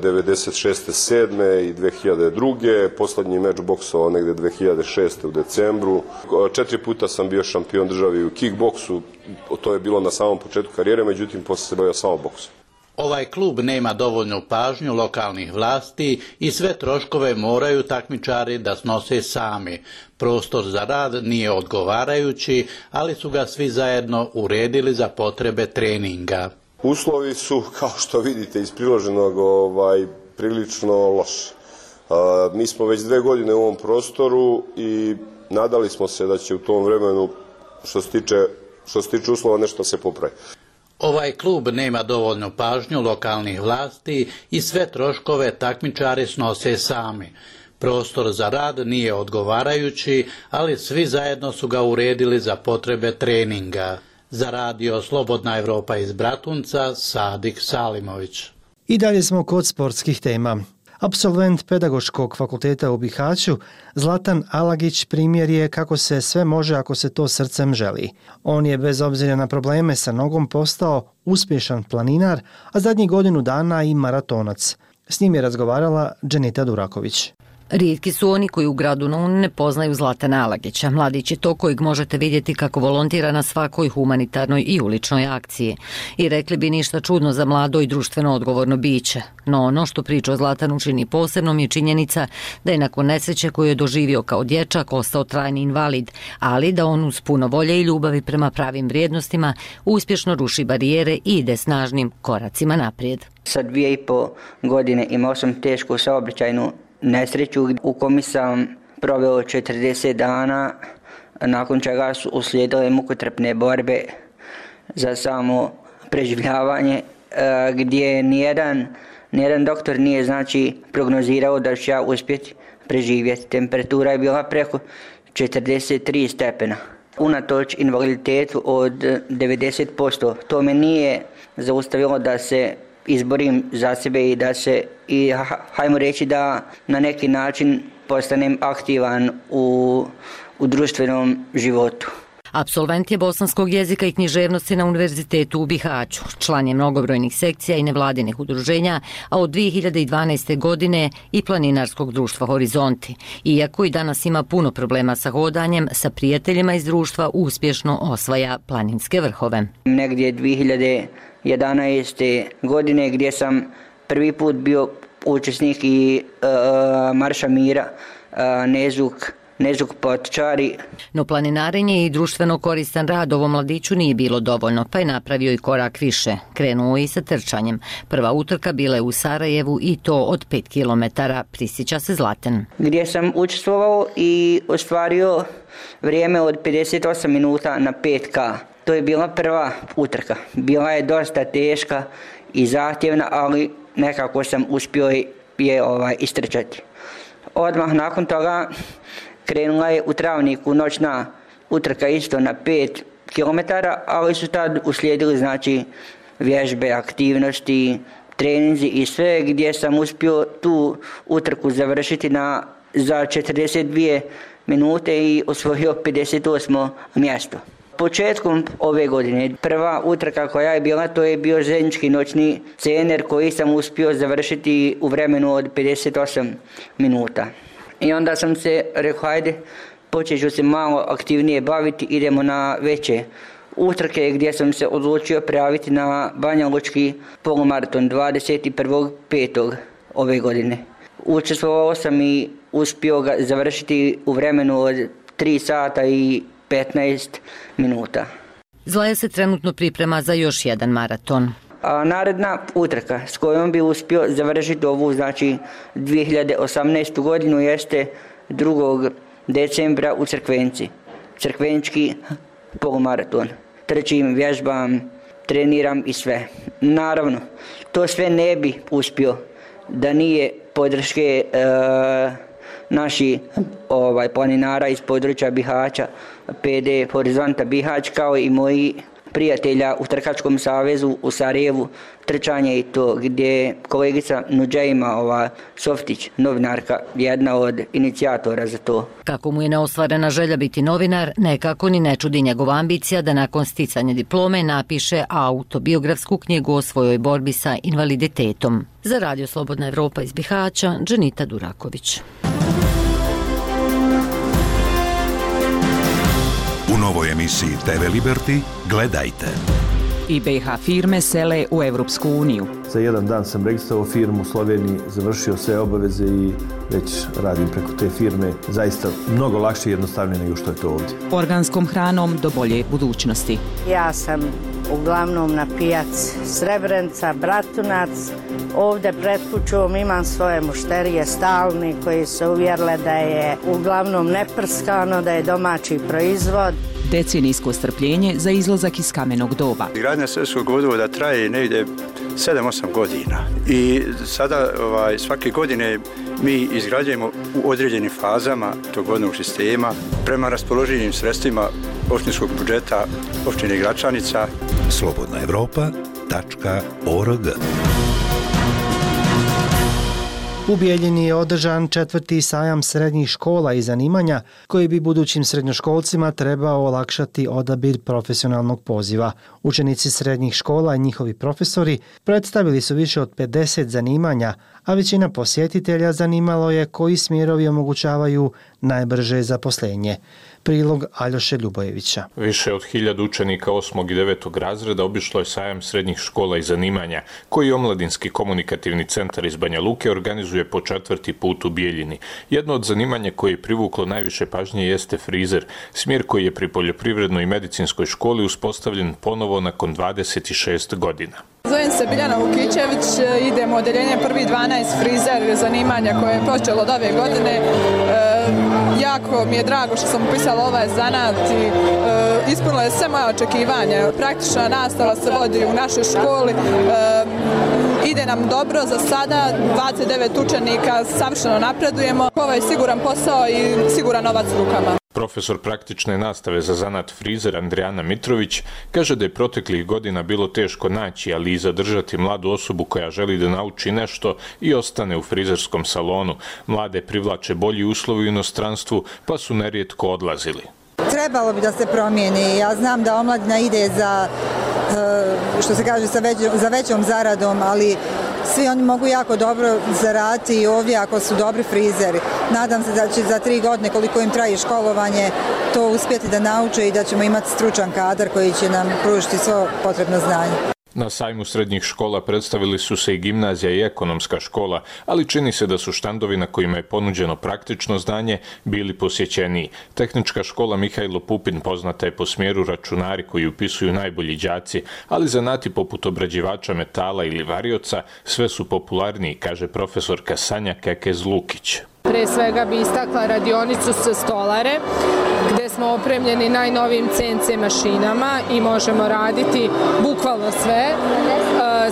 devedeset šeste sedme i dve hiljade druge. Poslednji meč boksao negde dve hiljade šeste u decembru. Četiri puta sam bio šampion države u kickboksu, to je bilo na samom početku karijere, međutim posle se bavio samo boksom. Ovaj klub nema dovoljnu pažnju lokalnih vlasti i sve troškove moraju takmičari da snose sami. Prostor za rad nije odgovarajući, ali su ga svi zajedno uredili za potrebe treninga. Uslovi su, kao što vidite iz priloženog, ovaj, prilično loši. Mi smo već dve godine u ovom prostoru i nadali smo se da će u tom vremenu, što se tiče, što se tiče uslova, nešto se popravi. Ovaj klub nema dovoljnu pažnju lokalnih vlasti i sve troškove takmičari snose sami. Prostor za rad nije odgovarajući, ali svi zajedno su ga uredili za potrebe treninga. Za radio Slobodna Evropa iz Bratunca, Sadik Salimović. I dalje smo kod sportskih tema. Apsolvent Pedagoškog fakulteta u Bihaću, Zlatan Alagić primjer je kako se sve može ako se to srcem želi. On je bez obzira na probleme sa nogom postao uspješan planinar, a zadnjih godinu dana i maratonac. S njim je razgovarala Dženita Duraković. Rijetki su oni koji u gradu Noun ne poznaju Zlatana Alagića. Mladić je to kojeg možete vidjeti kako volontira na svakoj humanitarnoj i uličnoj akciji. I rekli bi ništa čudno za mlado i društveno odgovorno biće. No ono što priča o Zlatanu čini posebnom je činjenica da je nakon nesreće koju je doživio kao dječak ostao trajni invalid, ali da on uz puno volje i ljubavi prema pravim vrijednostima uspješno ruši barijere i ide snažnim koracima naprijed. Sa dvije i po godine imao sam tešku saobraćajnu nesreću u kojoj sam proveo četrdeset dana, nakon čega su uslijedile mukotrpne borbe za samo preživljavanje, gdje nijedan, nijedan doktor nije znači prognozirao da ću ja uspjeti preživjeti. Temperatura je bila preko četrdeset tri stepena. Unatoč invaliditetu od devedeset posto, to me nije zaustavilo da se izborim za sebe i da se, i hajmo reći da na neki način postanem aktivan u, u društvenom životu. Apsolvent je bosanskog jezika i književnosti na Univerzitetu u Bihaću. Član je mnogobrojnih sekcija i nevladinih udruženja, a od dvije hiljade dvanaeste. godine i planinarskog društva Horizonti. Iako i danas ima puno problema sa hodanjem, sa prijateljima iz društva uspješno osvaja planinske vrhove. Negdje dvije hiljade jedanaeste. godine gdje sam prvi put bio učesnik i uh, Marša Mira, uh, Nezuk, Nezuk Potčari. No planinarenje i društveno koristan rad ovom mladiću nije bilo dovoljno, pa je napravio i korak više. Krenuo i sa trčanjem. Prva utrka bila je u Sarajevu i to od pet kilometara, prisjeća se Zlatan. Gdje sam učestvovao i ostvario vrijeme od pedeset osam minuta na pet ka. To je bila prva utrka. Bila je dosta teška i zahtjevna, ali nekako sam uspio je ovaj, istrčati. Odmah nakon toga krenula je u Travniku noćna utrka isto na pet kilometara, ali su tad uslijedili znači vježbe, aktivnosti, treninzi i sve, gdje sam uspio tu utrku završiti na, za četrdeset dvije minute i osvojio pedeset osmo mjesto. Početkom ove godine prva utrka koja je bila, to je bio željeznički noćni cener koji sam uspio završiti u vremenu od pedeset osam minuta. I onda sam se rekao, hajde, počet ću se malo aktivnije baviti, idemo na veće utrke, gdje sam se odlučio prijaviti na Banja Lučki polumaraton dvadeset prvog petog ove godine. Učestvovao sam i uspio ga završiti u vremenu od tri sata i petnaest minuta. Zlaja se trenutno priprema za još jedan maraton. A naredna utrka s kojom bi uspio završiti ovu, znači dvije hiljade osamnaestu. godinu jeste drugog decembra u Crkvenci. Crkvenčki polumaraton. Trčim, vježbam, treniram i sve. Naravno, to sve ne bi uspio da nije podrške e, naši ovaj, planinara iz područja Bihaća, P D Horizonta Bihać, kao i moji prijatelja u Trkačkom savezu u Sarajevu, trčanje i to, gdje kolegica Nuđejma ova, Softić, novinarka, jedna od inicijatora za to. Kako mu je neostvarena želja biti novinar, nekako ni ne čudi njegova ambicija da nakon sticanja diplome napiše autobiografsku knjigu o svojoj borbi sa invaliditetom. Za Radio Slobodna Evropa iz Bihaća, Dženita Duraković. U novoj emisiji T V Liberty gledajte. I B H firme sele u Evropsku uniju. Za jedan dan sam registrovao firmu u Sloveniji, završio sve obaveze i već radim preko te firme. Zaista mnogo lakše i jednostavnije nego što je to ovdje. Organskom hranom do bolje budućnosti. Ja sam uglavnom na pijac Srebrenica, Bratunac. Ovdje pred kućom imam svoje mušterije stalni koji se uvjerile da je uglavnom neprskano, da je domaći proizvod. Decenijsko strpljenje za izlazak iz kamenog doba. Gradnja Srpskog vodovoda traje negdje sedam osam godina i sada ovaj, svake godine mi izgrađujemo u određenim fazama tog vodnog sistema prema raspoloživim sredstvima opštinskog budžeta opštine Gračanica. slobodna evropa tačka org. U Bijeljini je održan četvrti sajam srednjih škola i zanimanja koji bi budućim srednjoškolcima trebao olakšati odabir profesionalnog poziva. Učenici srednjih škola i njihovi profesori predstavili su više od pedeset zanimanja, a većina posjetitelja zanimalo je koji smjerovi omogućavaju najbrže zaposlenje. Prilog Aljoše Ljubojevića. Više od hiljadu učenika osmog i devetog razreda obišlo je sajam srednjih škola i zanimanja, koji Omladinski komunikativni centar iz Banja Luke organizuje po četvrti put u Bijeljini. Jedno od zanimanja koje je privuklo najviše pažnje jeste frizer, smjer koji je pri Poljoprivrednoj i medicinskoj školi uspostavljen ponovo nakon dvadeset šest godina. Zovem se Biljana Vukićević, idem u odeljenje prvi dvanaest frizer zanimanja koje je počelo od ove godine. E, jako mi je drago što sam upisala ovaj zanat i e, ispunila je sve moje očekivanja. Praktična nastava se vodi u našoj školi. E, ide nam dobro za sada, dvadeset devet učenika, savršeno napredujemo. Ovo je siguran posao i siguran novac u rukama. Profesor praktične nastave za zanat frizer Andrijana Mitrović kaže da je proteklih godina bilo teško naći, ali i zadržati mladu osobu koja želi da nauči nešto i ostane u frizerskom salonu. Mlade privlače bolji uslovi u inostranstvu, pa su nerijetko odlazili. Trebalo bi da se promijeni. Ja znam da omladina ide za, što se kaže, za većom zaradom, ali svi oni mogu jako dobro zaraditi i ovdje ako su dobri frizeri. Nadam se da će za tri godine, koliko im traje školovanje, to uspjeti da nauče i da ćemo imati stručan kadar koji će nam pružiti svo potrebno znanje. Na sajmu srednjih škola predstavili su se i gimnazija i ekonomska škola, ali čini se da su štandovi na kojima je ponuđeno praktično znanje bili posjećeniji. Tehnička škola Mihajlo Pupin poznata je po smjeru računari koji upisuju najbolji đaci, ali zanati poput obrađivača metala ili varioca sve su popularniji, kaže profesorka Sanja Kekez-Lukić. Pre svega bi istakla radionicu sa stolare, gdje smo opremljeni najnovijim C N C mašinama i možemo raditi bukvalno sve.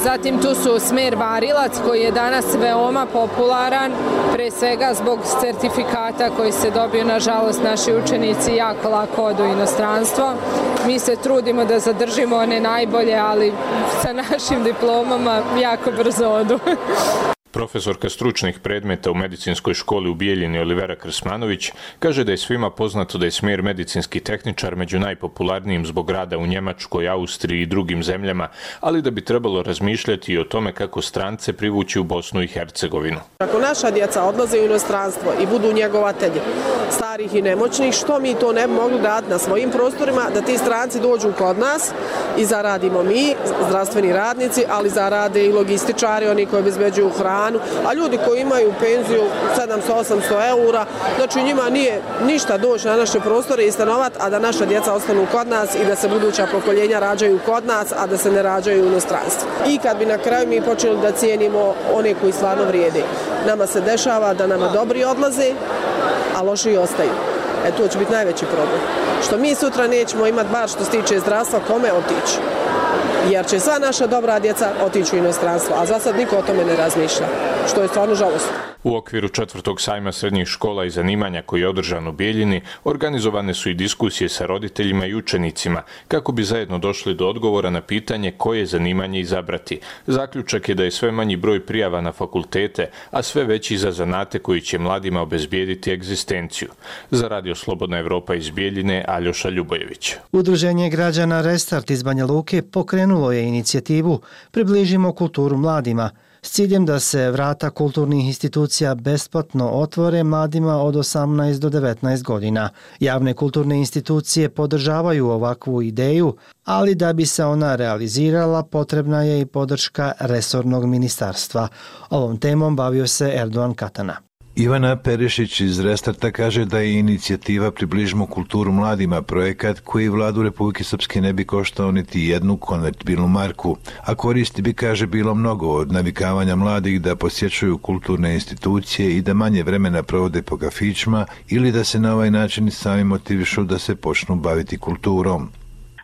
Zatim tu su smer varilac koji je danas veoma popularan, pre svega zbog certifikata koji se dobiju, nažalost, naši učenici jako lako odu u inostranstvo. Mi se trudimo da zadržimo one najbolje, ali sa našim diplomama jako brzo odu. Profesorka stručnih predmeta u medicinskoj školi u Bijeljini Olivera Krsmanović kaže da je svima poznato da je smjer medicinski tehničar među najpopularnijim zbog rada u Njemačkoj, Austriji i drugim zemljama, ali da bi trebalo razmišljati i o tome kako strance privući u Bosnu i Hercegovinu. Ako naša djeca odlaze u inostranstvo i budu njegovatelji starih i nemoćnih, što mi to ne bi mogli raditi na svojim prostorima, da ti stranci dođu kod nas i zaradimo mi, zdravstveni radnici, ali zarade i logističari, oni koji obezbeđuju hranu, a ljudi koji imaju penziju sedamsto do osamsto eura, znači njima nije ništa doći na naše prostore i stanovati, a da naša djeca ostanu kod nas i da se buduća pokoljenja rađaju kod nas, a da se ne rađaju u inostranstvu. I kad bi na kraju mi počeli da cijenimo one koji stvarno vrijede. Nama se dešava da nama dobri odlaze, a loši ostaju. E, to će biti najveći problem. Što mi sutra nećemo imati bar što se tiče zdravstva, kome otići. jer će sva naša dobra djeca otići u inostranstvo, a za sad niko o tome ne razmišlja, što je stvarno žalostno. U okviru četvrtog sajma srednjih škola i zanimanja koji je održan u Bijeljini, organizovane su i diskusije sa roditeljima i učenicima kako bi zajedno došli do odgovora na pitanje koje zanimanje izabrati. Zaključak je da je sve manji broj prijava na fakultete, a sve veći za zanate koji će mladima obezbijediti egzistenciju. Za Radio Slobodna Evropa iz Bijeljine, Aljoša Ljubojević. Udruženje građana Restart iz Banja Luke pokrenulo je inicijativu Približimo kulturu mladima, s ciljem da se vrata kulturnih institucija besplatno otvore mladima od osamnaest do devetnaest godina. Javne kulturne institucije podržavaju ovakvu ideju, ali da bi se ona realizirala potrebna je i podrška resornog ministarstva. Ovom temom bavio se Erdogan Katana. Ivana Perišić iz Restarta kaže da je inicijativa Približimo kulturu mladima projekat koji vladu Republike Srpske ne bi koštao niti jednu konvertibilnu marku, a koristi bi, kaže, bilo mnogo od navikavanja mladih da posjećuju kulturne institucije i da manje vremena provode po kafićima ili da se na ovaj način sami motivišu da se počnu baviti kulturom.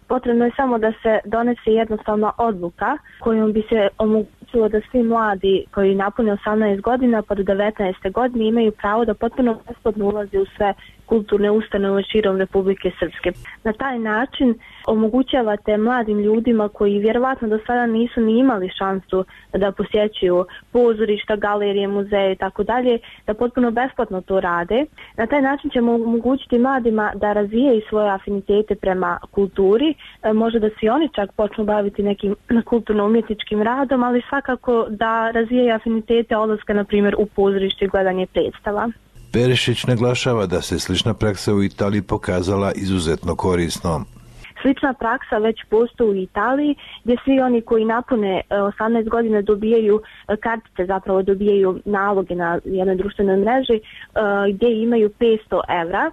Potrebno je samo da se donese jednostavna odluka kojom bi se omogućilo da svi mladi koji napune osamnaest godina pa do devetnaeste godine imaju pravo da potpuno besplatno ulaze u sve kulturne ustanove širom Republike Srpske. Na taj način omogućavate mladim ljudima koji vjerovatno do sada nisu ni imali šansu da posjećuju pozorišta, galerije, muzeje i tako dalje, da potpuno besplatno to rade. Na taj način ćemo omogućiti mladima da razvijaju svoje afinitete prema kulturi, možda da se i oni čak počnu baviti nekim kulturno-umjetničkim radom, ali svakako da razvijaju afinitete odlaska, na primjer, u pozorište i gledanje predstava. Perišić naglašava da se slična praksa u Italiji pokazala izuzetno korisnom. Slična praksa već postoji u Italiji, gdje svi oni koji napune osamnaest godina dobijaju kartice, zapravo dobijaju naloge na jednoj društvenoj mreži gdje imaju petsto evra.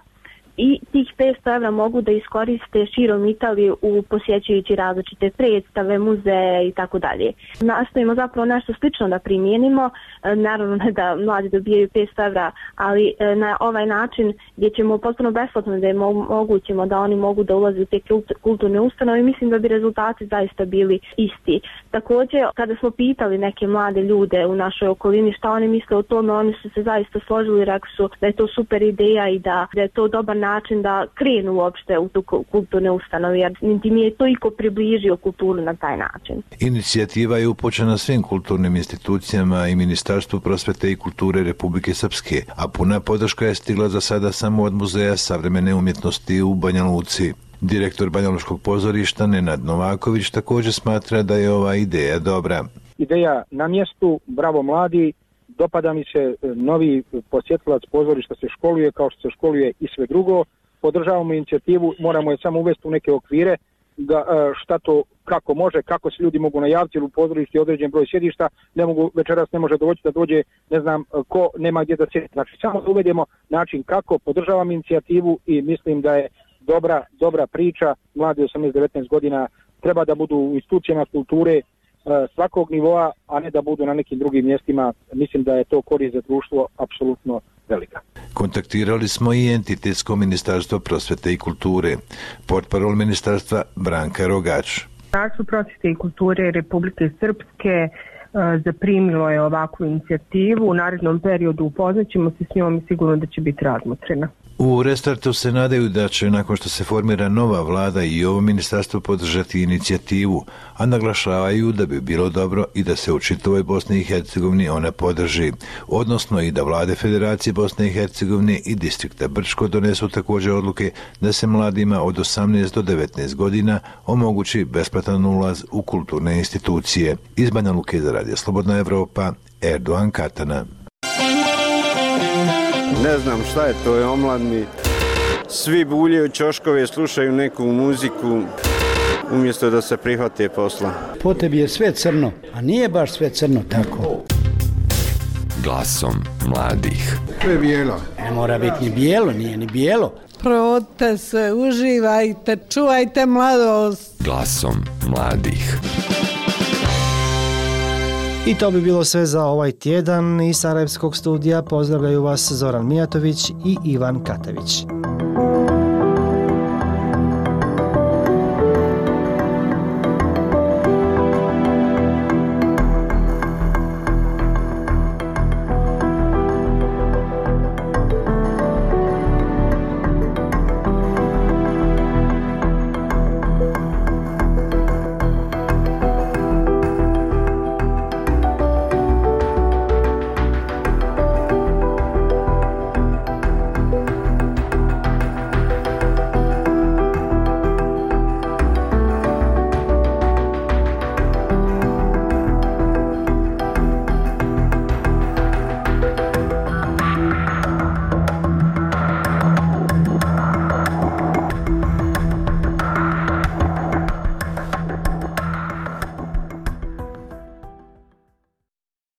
I tih petsto evra mogu da iskoriste širom Italije u posjećujući različite predstave, muzeje i tako dalje. Nastojimo zapravo nešto slično da primijenimo, naravno ne da mladi dobijaju petsto evra, ali na ovaj način gdje ćemo potpuno besplatno da im omogućimo da oni mogu da ulaze u te kulturne ustanove, mislim da bi rezultati zaista bili isti. Također, kada smo pitali neke mlade ljude u našoj okolini šta oni misle o tome, oni su se zaista složili i rekli su da je to super ideja i da, da je to dobar način da krenu uopšte u tu kulturne ustanove, jer niti mi je toliko približio kulturu na taj način. Inicijativa je upućena svim kulturnim institucijama i Ministarstvu prosvete i kulture Republike Srpske, a puna podrška je stigla za sada samo od Muzeja savremene umjetnosti u Banja Luci. Direktor Banjalučkog pozorišta Nenad Novaković također smatra da je ova ideja dobra. Ideja na mjestu, bravo mladi, dopada mi se, novi posjetilac pozorišta se školuje kao što se školuje i sve drugo. Podržavamo inicijativu, moramo je samo uvesti u neke okvire, da, šta to, kako može, kako se ljudi mogu najaviti, u pozorišti određen broj sjedišta, ne mogu, večeras ne može doći da dođe, ne znam ko, nema gdje da sjedi. Znači samo da uvedemo način kako, podržavam inicijativu i mislim da je dobra, dobra priča. Mladi osamnaest do devetnaest godina treba da budu u institucijama kulture svakog nivoa, a ne da budu na nekim drugim mjestima. Mislim da je to korist za društvo apsolutno velika. Kontaktirali smo i entitetsko ministarstvo prosvete i kulture. Portparol ministarstva Branka Rogač. Ministarstvo prosvete i kulture Republike Srpske zaprimilo je ovakvu inicijativu. U narednom periodu upoznaćemo se s njom i sigurno da će biti razmotrena. U Restartu se nadaju da će, nakon što se formira nova vlada, i ovo ministarstvo podržati inicijativu, a naglašavaju da bi bilo dobro i da se u čitavoj Bosni i Hercegovini ona podrži, odnosno i da vlade Federacije Bosne i Hercegovine i distrikta Brčko donesu također odluke da se mladima od osamnaest do devetnaest godina omogući besplatan ulaz u kulturne institucije. Iz Banja Luke za Radio Slobodna Evropa, Erdogan Katana. Ne znam šta je to, je omladni. Svi buljaju ćoškove, slušaju neku muziku, umjesto da se prihvate posla. Po tebi je sve crno, a nije baš sve crno tako. Glasom mladih. To je bijelo. Ne mora biti ni bijelo, nije ni bijelo. Provodite se, uživajte, čuvajte mladost. Glasom mladih. I to bi bilo sve za ovaj tjedan. Iz Sarajevskog studija pozdravljaju vas Zoran Mijatović i Ivan Katavić.